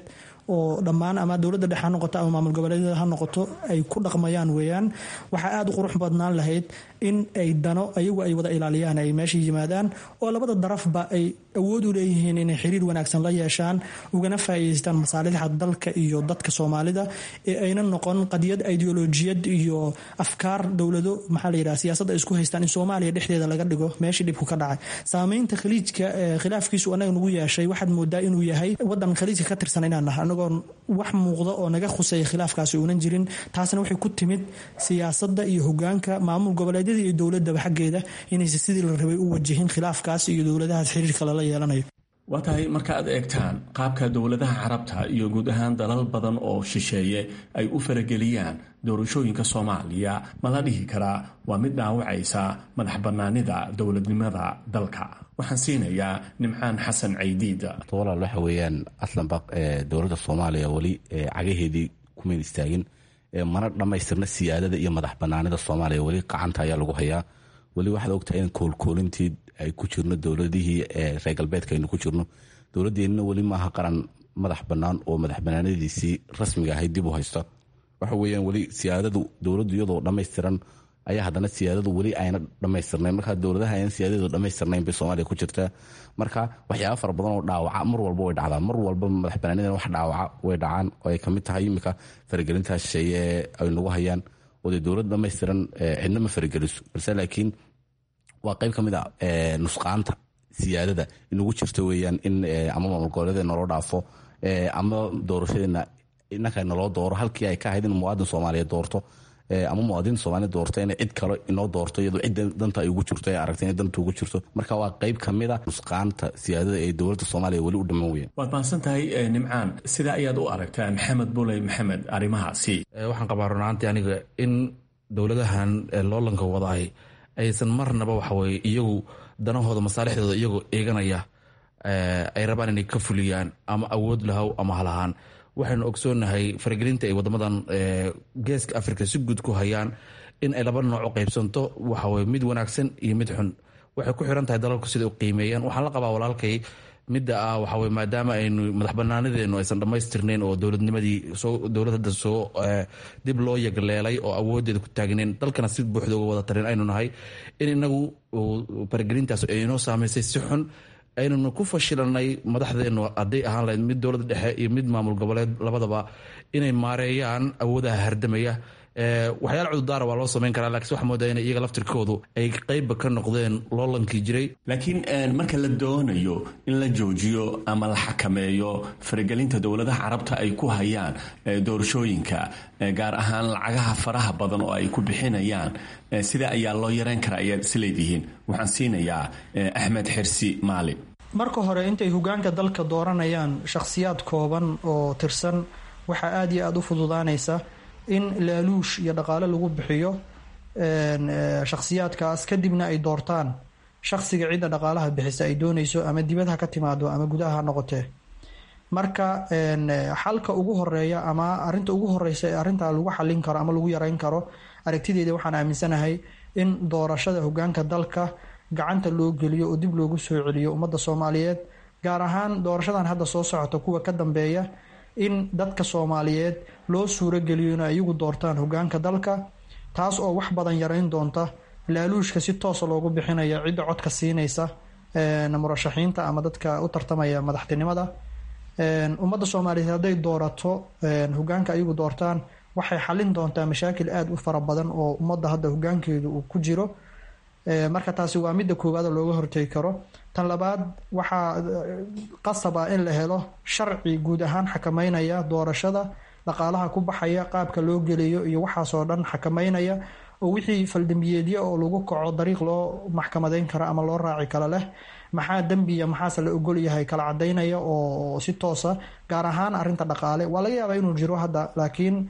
oo dhammaan ama dowladda dhexe ha noqoto ama maamul goboleedyada ha noqoto ay ku dhaqmayaan weeyaan. Waxaa aada u qurux badnaan lahayd in ay dano ayagu ay wada ilaaliyaan ay meesha yimaadaan, oo labada darafba ay awood u leeyihiin inay xiriir wanaagsan la yeeshaan, ugana faa'iidaystaan masaalixda dalka iyo dadka Soomaalida, ee ayna noqon qadiyad ideolojiyad iyo afkaar dowlado, maxaa la yidhaha, siyaasadda ay isku haystaan in Soomaaliya dhexdeeda laga dhigo meeshii dhibku ka dhacay. Saameynta Khaliijka khilaafkiisu anaga nagu yeeshay, waxaad moodaa inuu yahay wadan Khaliijka ka tirsan inaan nahay, anagoo wax muuqda oo naga khuseeya khilaafkaasi uunan jirin. Taasna waxay ku timid siyaasadda iyo hogaanka maamul goboleedyada iyo dowladaba xaggeeda inaysa sidii la rabay u wajihin khilaafkaas iyo dowladahaas xiriirka lala yeelanayo. Waa tahay, marka aad eegtaan qaabka dowladaha Carabta iyo guud ahaan dalal badan oo shisheeye ay u farageliyaan doorashooyinka Soomaaliya, ma la dhihi karaa waa mid dhaawacaysa madax bannaanida dowladnimada dalka? Waxaan siinayaa Nimcaan Xasan Caydiid. Walaal, waxa weeyaan aslanba dowladda Soomaaliya weli cagaheedii kumayn istaagin, mana dhammaystirna siyaadada iyo madax banaanida Soomaaliya. Weli qacanta ayaa lagu hayaa. Weli waxaad ogtahay in koolkoolintii ay ku jirno dowladihii reer galbeedka aynu ku jirno. Dowladdeenna weli maaha qaran madax bannaan oo madax banaanadiisii rasmiga ahayd dib u haysta. Waxa weeyaan weli siyaadadu dowladdu iyadoo dhammaystiran ayaa haddana siyaadadu weli ayna dhammaystirnayn. Marka dowladaha ayna siyaadadu dhammaystirnayn bay Soomaaliya ku jirtaa. Marka waxyaaba fara badan oo dhaawaca mar walba way dhacdaa, mar walba madax banaanidan wax dhaawaca way dhacaan, oo ay kamid tahay iminka faragelintaa shisheeye ee ay nagu hayaan, oo dee dowlad dhammaystiran cidna ma farageliso, balse laakiin waa qayb ka mid a nusqaanta siyaadada inagu jirta weeyaan in ama maamul goboleeda naloo dhaafo ama doorashadeena inanka naloo dooro, halkii ay ka ahayd in muwaadin Soomaaliyeed doorto ama muwaadiniin Soomaaliya doorto, inay cid kale inoo doorto iyadoo cidda danta ay ugu jirto ay aragtay inay danta ugu jirto. Marka waa qayb ka mid a nusqaanta siyaadada ee dowladda Soomaaliya weli u dhiman weeyaan. Waad mahadsan tahay, Nimcaan. Sidaa ayaad u aragtaa, Maxamed Buley Maxamed, arrimahaasi? Waxaan qabaa runaantii aniga in dowladahan loolanka wadaay aysan marnaba, waxaweye, iyagu danahooda masaalixdooda iyagoo eeganaya ay rabaan inay ka fuliyaan, ama awood lahow ama halahaan. Waxaynu ogsoonahay faragelinta ay wadamadan Geeska Africa si guud ku hayaan in ay laba nooc u qaybsanto, waxaweye mid wanaagsan iyo mid xun. Waxay ku xiran tahay dalalku siday u qiimeeyaan. Waxaan la qabaa walaalkay midda ah, waxaweye, maadaama aynu madax banaanadeenu aysan dhammaystirnayn oo dowladnimadii soo dowlad hadda soo dib loo yagleelay oo awoodeeda ku taagnayn, dalkana si buuxda uga wada tarin aynu nahay, in inagu faragelintaas ay inoo saameysay si xun, aynuna ku fashilanay madaxdeenu, hadday ahaan lahayd mid dowladda dhexe iyo mid maamul goboleed labadaba, inay maareeyaan awoodaha hardamaya. Waxyaala cudurdaara waa loo samayn karaa, lakiin waxaa moodaa inay iyaga laftirkoodu ay qeybba ka noqdeen loolankii jiray. Laakiin marka la doonayo in la joojiyo ama la xakameeyo faragelinta dowladaha carabta ay ku hayaan doorashooyinka, gaar ahaan lacagaha faraha badan oo ay ku bixinayaan, sida ayaa loo yareyn karaa ayaad isleedihiin? Waxaan siinayaa Axmed Xirsi Maali. Marka hore, intay hogaanka dalka dooranayaan shakhsiyaad kooban oo tirsan, waxaa aada iyo aada u fududaanaysa in laaluush iyo dhaqaale lagu bixiyo shakhsiyaadkaas, kadibna ay doortaan shakhsiga cidda dhaqaalaha bixisa ay doonayso, ama dibad ha ka timaado ama gudaha ha noqotee. Marka xalka ugu horeeya ama arinta ugu horeysa ee arrintaa lagu xalin karo ama lagu yareyn karo, aragtideeda waxaan aaminsanahay in doorashada hogaanka dalka gacanta loo geliyo oo dib loogu soo celiyo ummadda Soomaaliyeed, gaar ahaan doorashadan hadda soo socota kuwa ka dambeeya, in dadka Soomaaliyeed loo suurogeliyo inay iyagu doortaan hogaanka dalka, taas oo wax badan yareyn doonta laaluushka si toosa loogu bixinaya cidda codka siinaysa murashaxiinta ama dadka u tartamaya madaxtinimada. Ummadda Soomaaliyeed hadday doorato hogaanka ayagu doortaan, waxay xalin doontaa mashaakil aada u fara badan oo ummadda hadda hogaankeedu uu ku jiro. Marka taasi waa midda koowaad oo looga hortegi karo. Tan labaad, waxaa qasab ah in la helo sharci guud ahaan xakameynaya doorashada, dhaqaalaha ku baxaya, qaabka loo geliyo iyo waxaasoo dhan xakameynaya, oo wixii faldambiyeedyo oo lagu kaco dariiq loo maxkamadeyn karo ama loo raaci karo leh, maxaa dembiya, maxaase la ogol yahay, kala cadaynaya oo si toosa, gaar ahaan arrinta dhaqaale. Waa laga yaabaa inuu jiro hadda, laakiin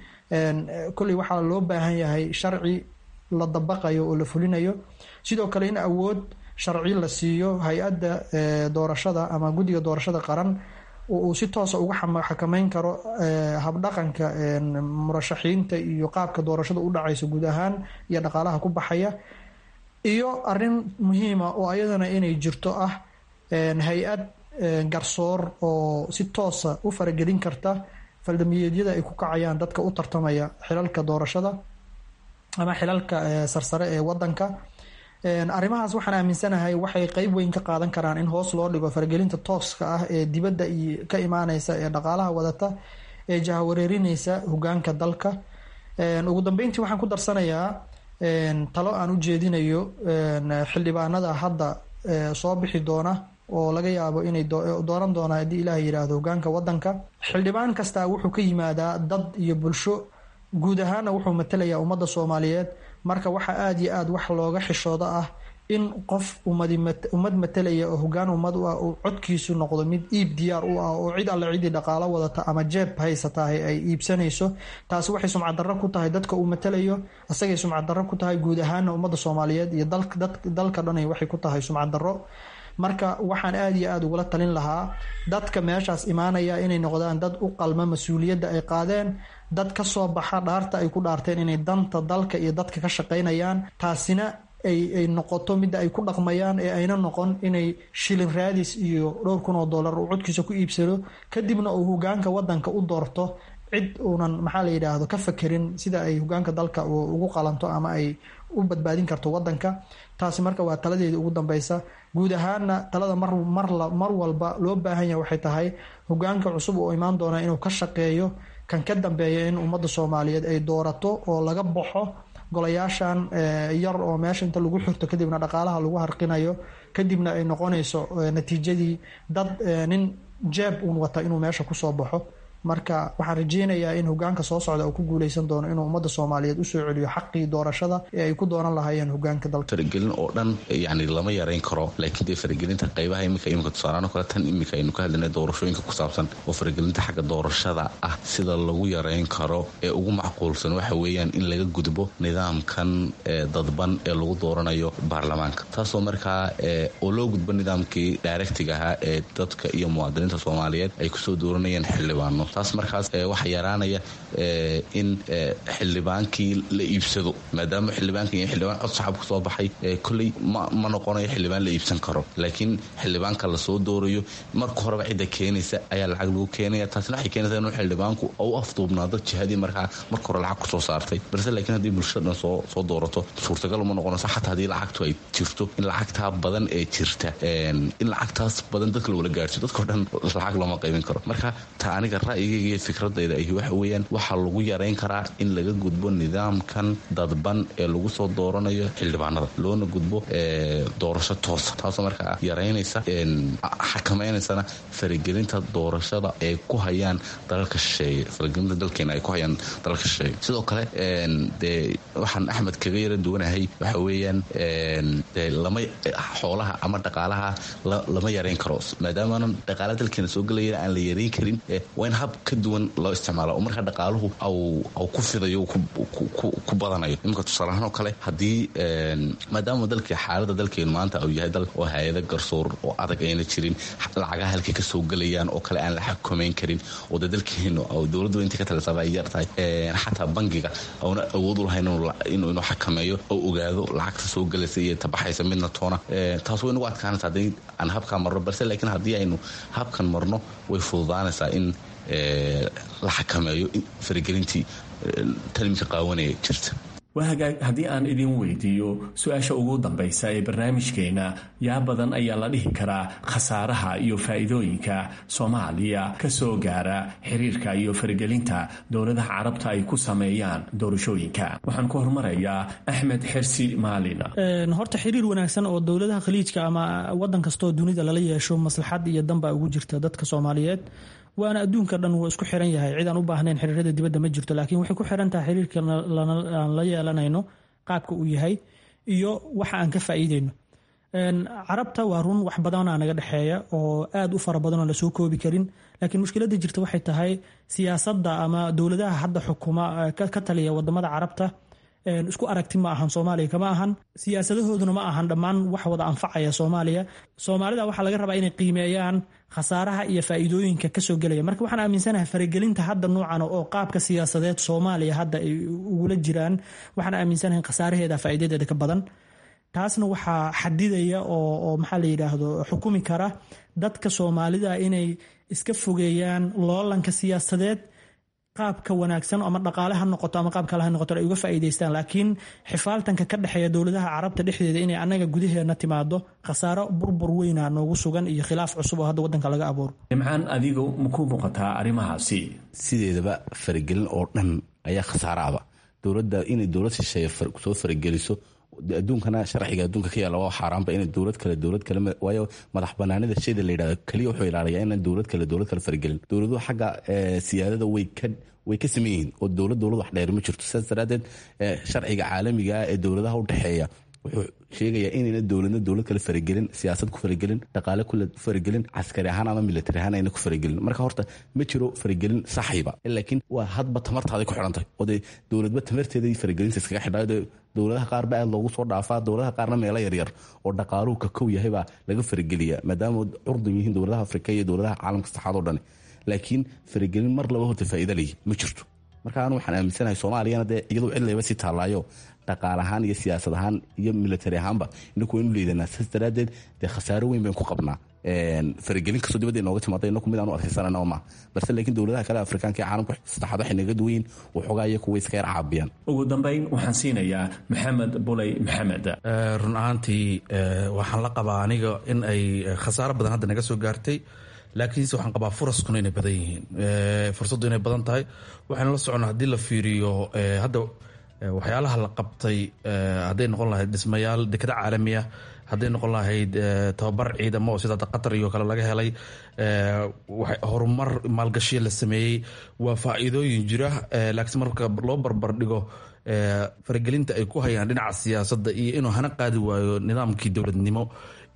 kolley waxaa loo baahan yahay sharci la dabaqayo oo la fulinayo. Sidoo kale in awood sharci la siiyo hay-adda doorashada ama guddiga doorashada qaran oo uu si toosa uga xakameyn karo habdhaqanka murashaxiinta iyo qaabka doorashada u dhacaysa guud ahaan iyo dhaqaalaha ku baxaya. Iyo arrin muhiima oo ayadana inay jirto ah hay-ad garsoor oo si toosa u faragelin karta faldambiyeedyada ay ku kacayaan dadka u tartamaya xilalka doorashada ama xilalka sarsare ee wadanka. Arrimahaas waxaan aaminsanahay waxay qeyb weyn ka qaadan karaan in hoos loo dhigo faragelinta tooska ah ee dibadda iyo ka imaaneysa ee dhaqaalaha wadata ee jahawareerineysa hogaanka dalka. Ugu dambeyntii, waxaan ku darsanayaa talo aan u jeedinayo xildhibaanada hadda soo bixi doona oo laga yaabo inay dooran doonaan, haddii Ilaah yidhaahdo, hogaanka wadanka. Xildhibaan kastaa wuxuu ka yimaadaa dad iyo bulsho, guud ahaana wuxuu matalayaa ummadda Soomaaliyeed. Marka waxaa aada iyo aada wax looga xishooda ah in qof ummad matalaya oo hogaan ummad u ah uu codkiisu noqdo mid iib diyaar u ah, oo cid alle ciddii dhaqaalo wadata ama jeeb haysatahay ay iibsanayso. Taasi waxay sumcad darro ku tahay dadka uu matalayo, isagay sumcad darro ku tahay, guud ahaana ummadda Soomaaliyeed iyo dalka dhanay waxay ku tahay sumcad darro. Marka waxaan aada iyo aada ugula talin lahaa dadka meeshaas imaanaya inay noqdaan dad u qalma mas-uuliyadda ay qaadeen, dad ka soo baxa dhaarta ay ku dhaarteen inay danta dalka iyo dadka ka shaqaynayaan, taasina ay noqoto midda ay ku dhaqmayaan, ee ayna noqon inay shilin raadis iyo dhowr kun oo dollar uu codkiisa ku iibsado, kadibna uu hogaanka wadanka u doorto cid uunan, maxaa la yidhaahdo, ka fakerin sida ay hogaanka dalka ugu qalanto ama ay u badbaadin karto wadanka. Taasi marka waa taladeeda ugu dambeysa. Guud ahaana talada mar walba loo baahan yahay waxay tahay hogaanka cusub oo imaan doona inuu ka shaqeeyo kan ka dambeeya in ummadda Soomaaliyeed ay doorato oo laga baxo golayaashan yar oo meesha inta lagu xirto kadibna dhaqaalaha lagu harqinayo, kadibna ay noqonayso natiijadii dad nin jeeb uun wata inuu meesha kusoo baxo. Marka waxaan rajeynayaa in hogaanka soo socda uu ku guuleysan doono inuu ummadda Soomaaliyeed usoo celiyo xaqii doorashada ee ay ku dooran lahaayeen hogaanka dalka. Faragelin oo dhan yani lama yareyn karo, laakiin dee faragelinta qaybaha imika tusaalaan oo kale, tan imika aynu ka hadlaynay doorashooyinka ku saabsan oo faragelinta xagga doorashada ah, sida lagu yareyn karo ee ugu macquulsan waxa weeyaan in laga gudbo nidaamkan dadban ee lagu dooranayo baarlamaanka, taasoo markaa oo loo gudbo nidaamkii directiga ahaa ee dadka iyo muwaadiniinta Soomaaliyeed ay kusoo dooranayeen xildhibaano. Taas markaas waxaa yaraanaya in xildhibaankii la iibsado, maadaama xildhibaanka iyo xildhibaan cod shacab kusoo baxay kolley ma noqonayo xildhibaan la iibsan karo. Laakiin xildhibaanka lasoo doorayo marka horeba cidda keenaysa ayaa lacag lagu keenaya, taasna waxay keenaysa inuu xildhibaanku u afduubnaado jihadii markaa marka hore lacag kusoo saartay. Balse laakiin haddii bulshada dhan soo doorato, suurtagal uma noqonayso xataa haddii lacagtu ay jirto in lacagtaa badan ee jirta, in lacagtaas badan dadka lagula gaarsiyo. Dadkao dhan lacag looma qaybin karo. Marka ta aniga Ra'yigayga iyo fikradayda ahi waxa weeyaan waxaa lagu yarayn karaa in laga gudbo nidaamkan dadban ee lagu soo dooranayo xildhibaanada, loona gudbo doorasho toosa, taasoo markaa yaraynaysa xakamaynaysana faragelinta doorashada ay ku hayaan dalalka shisheeye, faragelinta dalkeena ay ku hayaan dalalka shisheeye. Sidoo kale dee waxaan Axmed kaga yara duwanahay waxa weeyaan dee lama xoolaha ama dhaqaalaha lama yarayn karo, maadaamaanan dhaqaalaha dalkeena soo gelaya aan la yarayn karin. Waa in hab ka duwan loo isticmaala oo markaa dhaqaaluhu au ku fidayo, ku badanayo. Iminka tusaalahaan oo kale, haddii maadaama dalka xaalada dalkeenu maanta uu yahay dal oo hay-ada garsoor oo adag ayna jirin, lacagaha halkay ka soo gelayaan oo kale aan la xakameyn karin, oo dee dalkeenu dowladdu inta ka talisaaba ay yar tahay, xataa bangiga auna awood u lahayn inuu xakameeyo oo ogaado lacagta soo gelaysa iyo tabaxaysa midna toona, taas way nagu adkaanaysa haddii aan habkaa marno. Balse laakiin haddii aynu habkan marno, way fududaanaysaa in la xakameeyo faragelintii talimka qaawanaya jirta. Waa hagaag. Haddii aan idin weydiiyo su-aasha ugu dambaysa ee barnaamijkeena, yaa badan ayaa la dhihi karaa khasaaraha iyo faa'iidooyinka Soomaaliya ka soo gaara xiriirka iyo faragelinta dowladaha Carabta ay ku sameeyaan doorashooyinka? Waxaan ku hormarayaa Axmed Xersi Maalin. Horta xiriir wanaagsan oo dowladaha Khaliijka ama wadan kastoo dunida lala yeesho maslaxad iyo danbaa ugu jirta dadka Soomaaliyeed, waana adduunka dhan wuu isku xiran yahay, cid aan u baahnayn xiriirada dibadda ma jirto. Laakiin waxay ku xiran tahay xiriirka aan la yeelanayno qaabka uu yahay iyo waxa aan ka faa'iideyno. Carabta waa run, wax badanaa naga dhexeeya oo aad u fara badan oo lasoo koobi karin, laakiin mushkiladda jirta waxay tahay siyaasadda ama dowladaha hadda xukuma ka taliya wadamada Carabta isku aragti ma ahan, Soomaaliya kama ahan, siyaasadahooduna ma ahan dhammaan wax wada anfacaya Soomaaliya. Soomaalida waxaa laga rabaa inay qiimeeyaan khasaaraha iyo faa'iidooyinka kasoo gelaya. Marka waxaan aaminsanahay faragelinta hadda noocan oo qaabka siyaasadeed Soomaaliya hadda ay ugula jiraan, waxaan aaminsanahay khasaaraheeda faa'iidadeeda ka badan. Taasna waxaa xadidaya oo maxaa la yidhaahdo xukumi kara dadka Soomaalida inay iska fogeeyaan loolanka siyaasadeed, qaabka wanaagsan ama dhaqaale ha noqoto ama qaab kale ha noqoto ay uga faa'iidaystaan. Laakiin xifaaltanka ka dhexeeya dowladaha Carabta dhexdeeda inay annaga gudaheena timaado, khasaaro burbur weyna noogu sugan iyo khilaaf cusub oo hadda waddanka laga abuuro. Nimcaan, adigu maku muuqataa arrimahaasi? Sideedaba faragelin oo dhan ayaa khasaaraaba. Dowladda inay dowlad shisheeye soo farageliso, adduunkana sharciga adduunka ka yaalla waa xaaraanba inay dowlad kale dowlad kale, waayo madax banaanida shayda la yidhahdo keliya wuxuu ilaaliyaa inaan dowlad kale dowlad kale faragelin. Dowladuhu xagga siyaadada way ka saman yihiin oo dowlad dowlad wax dheer ma jirto. Sidaas daraaddeed sharciga caalamiga ah ee dowladaha u dhexeeya wuxuu sheegayaa inayna dowladna dowlad kale faragelin, siyaasad ku faragelin, dhaqaale kule faragelin, caskari ahaan ama military ahaan ayna ku faragelin. Marka horta ma jiro faragelin saxiiba, laakiin waa hadba tamartaaday ku xidhantahay oo dee dowladba tamarteeday faragelinta iskaga xidhaa. Dowladaha qaar ba aad loogu soo dhaafaa, dowladaha qaarna meelo yaryar oo dhaqaaluhu ka kow yahay baa laga farageliyaa, maadaama curdun yihiin dowladaha Afrika iyo dowladaha caalamka saddexaad oo dhani. Laakiin faragelin mar laba horta faa'iida leeyi ma jirto. Marka anu waxaan aaminsanahay Soomaaliyana dee iyadoo cid layba sii taallaayo dhaqaal ahaan iyo siyaasad ahaan iyo military ahaanba inaku waynu liidanaa. Saas daraaddeed dee khasaaro weyn baynu ku qabnaa faragelin kastoo dibadda inooga timaada, inaku mid aanu adkaysanana maaha. Balse laakiin dowladaha kale Afrikaanka ee caalamka saddexaad waxay naga duwan yihiin waxoogaa iyaku way iska yar caabiyaan. Ugu dambayn waxaan siinayaa Maxamed Buley Maxamed. Run ahaantii waxaan la qabaa aniga in ay khasaaro badan hadda naga soo gaartay, laakiinse waxaan qabaa furaskuna inay badan yihiin, fursaddu inay badan tahay. Waxaynu la soconnaa haddii la fiiriyo hadda waxyaalaha la qabtay, hadday noqon lahayd dhismayaal dekada caalami ah, hadday noqon lahayd tababar ciidamo oo sida Qatar iyo kale laga helay, horumar maalgashiya la sameeyey, waa faa'iidooyin jira. Laakiinse marka loo barbar dhigo faragelinta ay ku hayaan dhinaca siyaasadda iyo inuu hana qaadi waayo nidaamkii dowladnimo,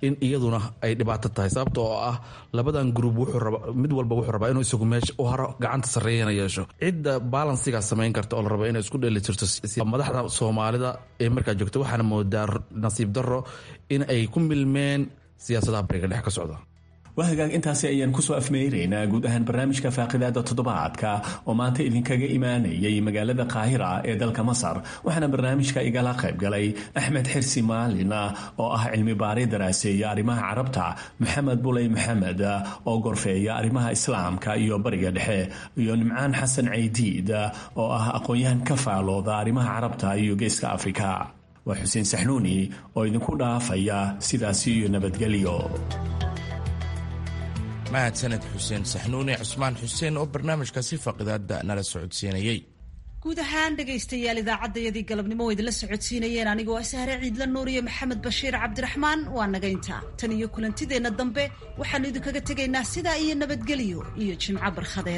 in iyaduna ay dhibaato tahay, sababta oo ah labadan gruub wuxuu raba, mid walba wuxuu rabaa inuu isagu meesha u haro, gacanta sarreeyana yeesho. Cidda balansigaa samayn karta oo la raba inay isku dheeli jirto madaxda Soomaalida ee markaa joogta, waxaana moodaa nasiib darro in ay ku milmeen siyaasadaha bariga dhex ka socda. Waa hagaag, intaasi ayaan kusoo afmeyraynaa guud ahaan barnaamijka faaqidaada toddobaadka oo maanta idinkaga imaanayay magaalada Qaahira ee dalka Masar. Waxaana barnaamijka igala qayb galay Axmed Xirsi Maalin oo ah cilmi baari daraaseeya arrimaha Carabta, Maxamed Buley Maxamed oo gorfeeya arrimaha Islaamka iyo Bariga Dhexe, iyo Nimcaan Xasan Caydiid oo ah aqoon-yahan ka faalooda arrimaha Carabta iyo Geeska Afrika. Waa Xuseen Saxnuuni oo idinku dhaafaya sidaasi iyo nabadgelyo. Mahadsaned Xuseen Saxnuune, Cusmaan Xuseen oo barnaamijkaasi faaqidaada nala socodsiinayey. Guud ahaan dhegaystayaal, idaacaddayadii galabnimo oo idinla socodsiinayeen anigoo Sahre Ciidla Nuur iyo Maxamed Bashiir Cabdiraxmaan waa naga intaa. Tan iyo kulantideenna dambe waxaannu idinkaga tegaynaa sidaa iyo nabadgelyo iyo jimco barkhadeed.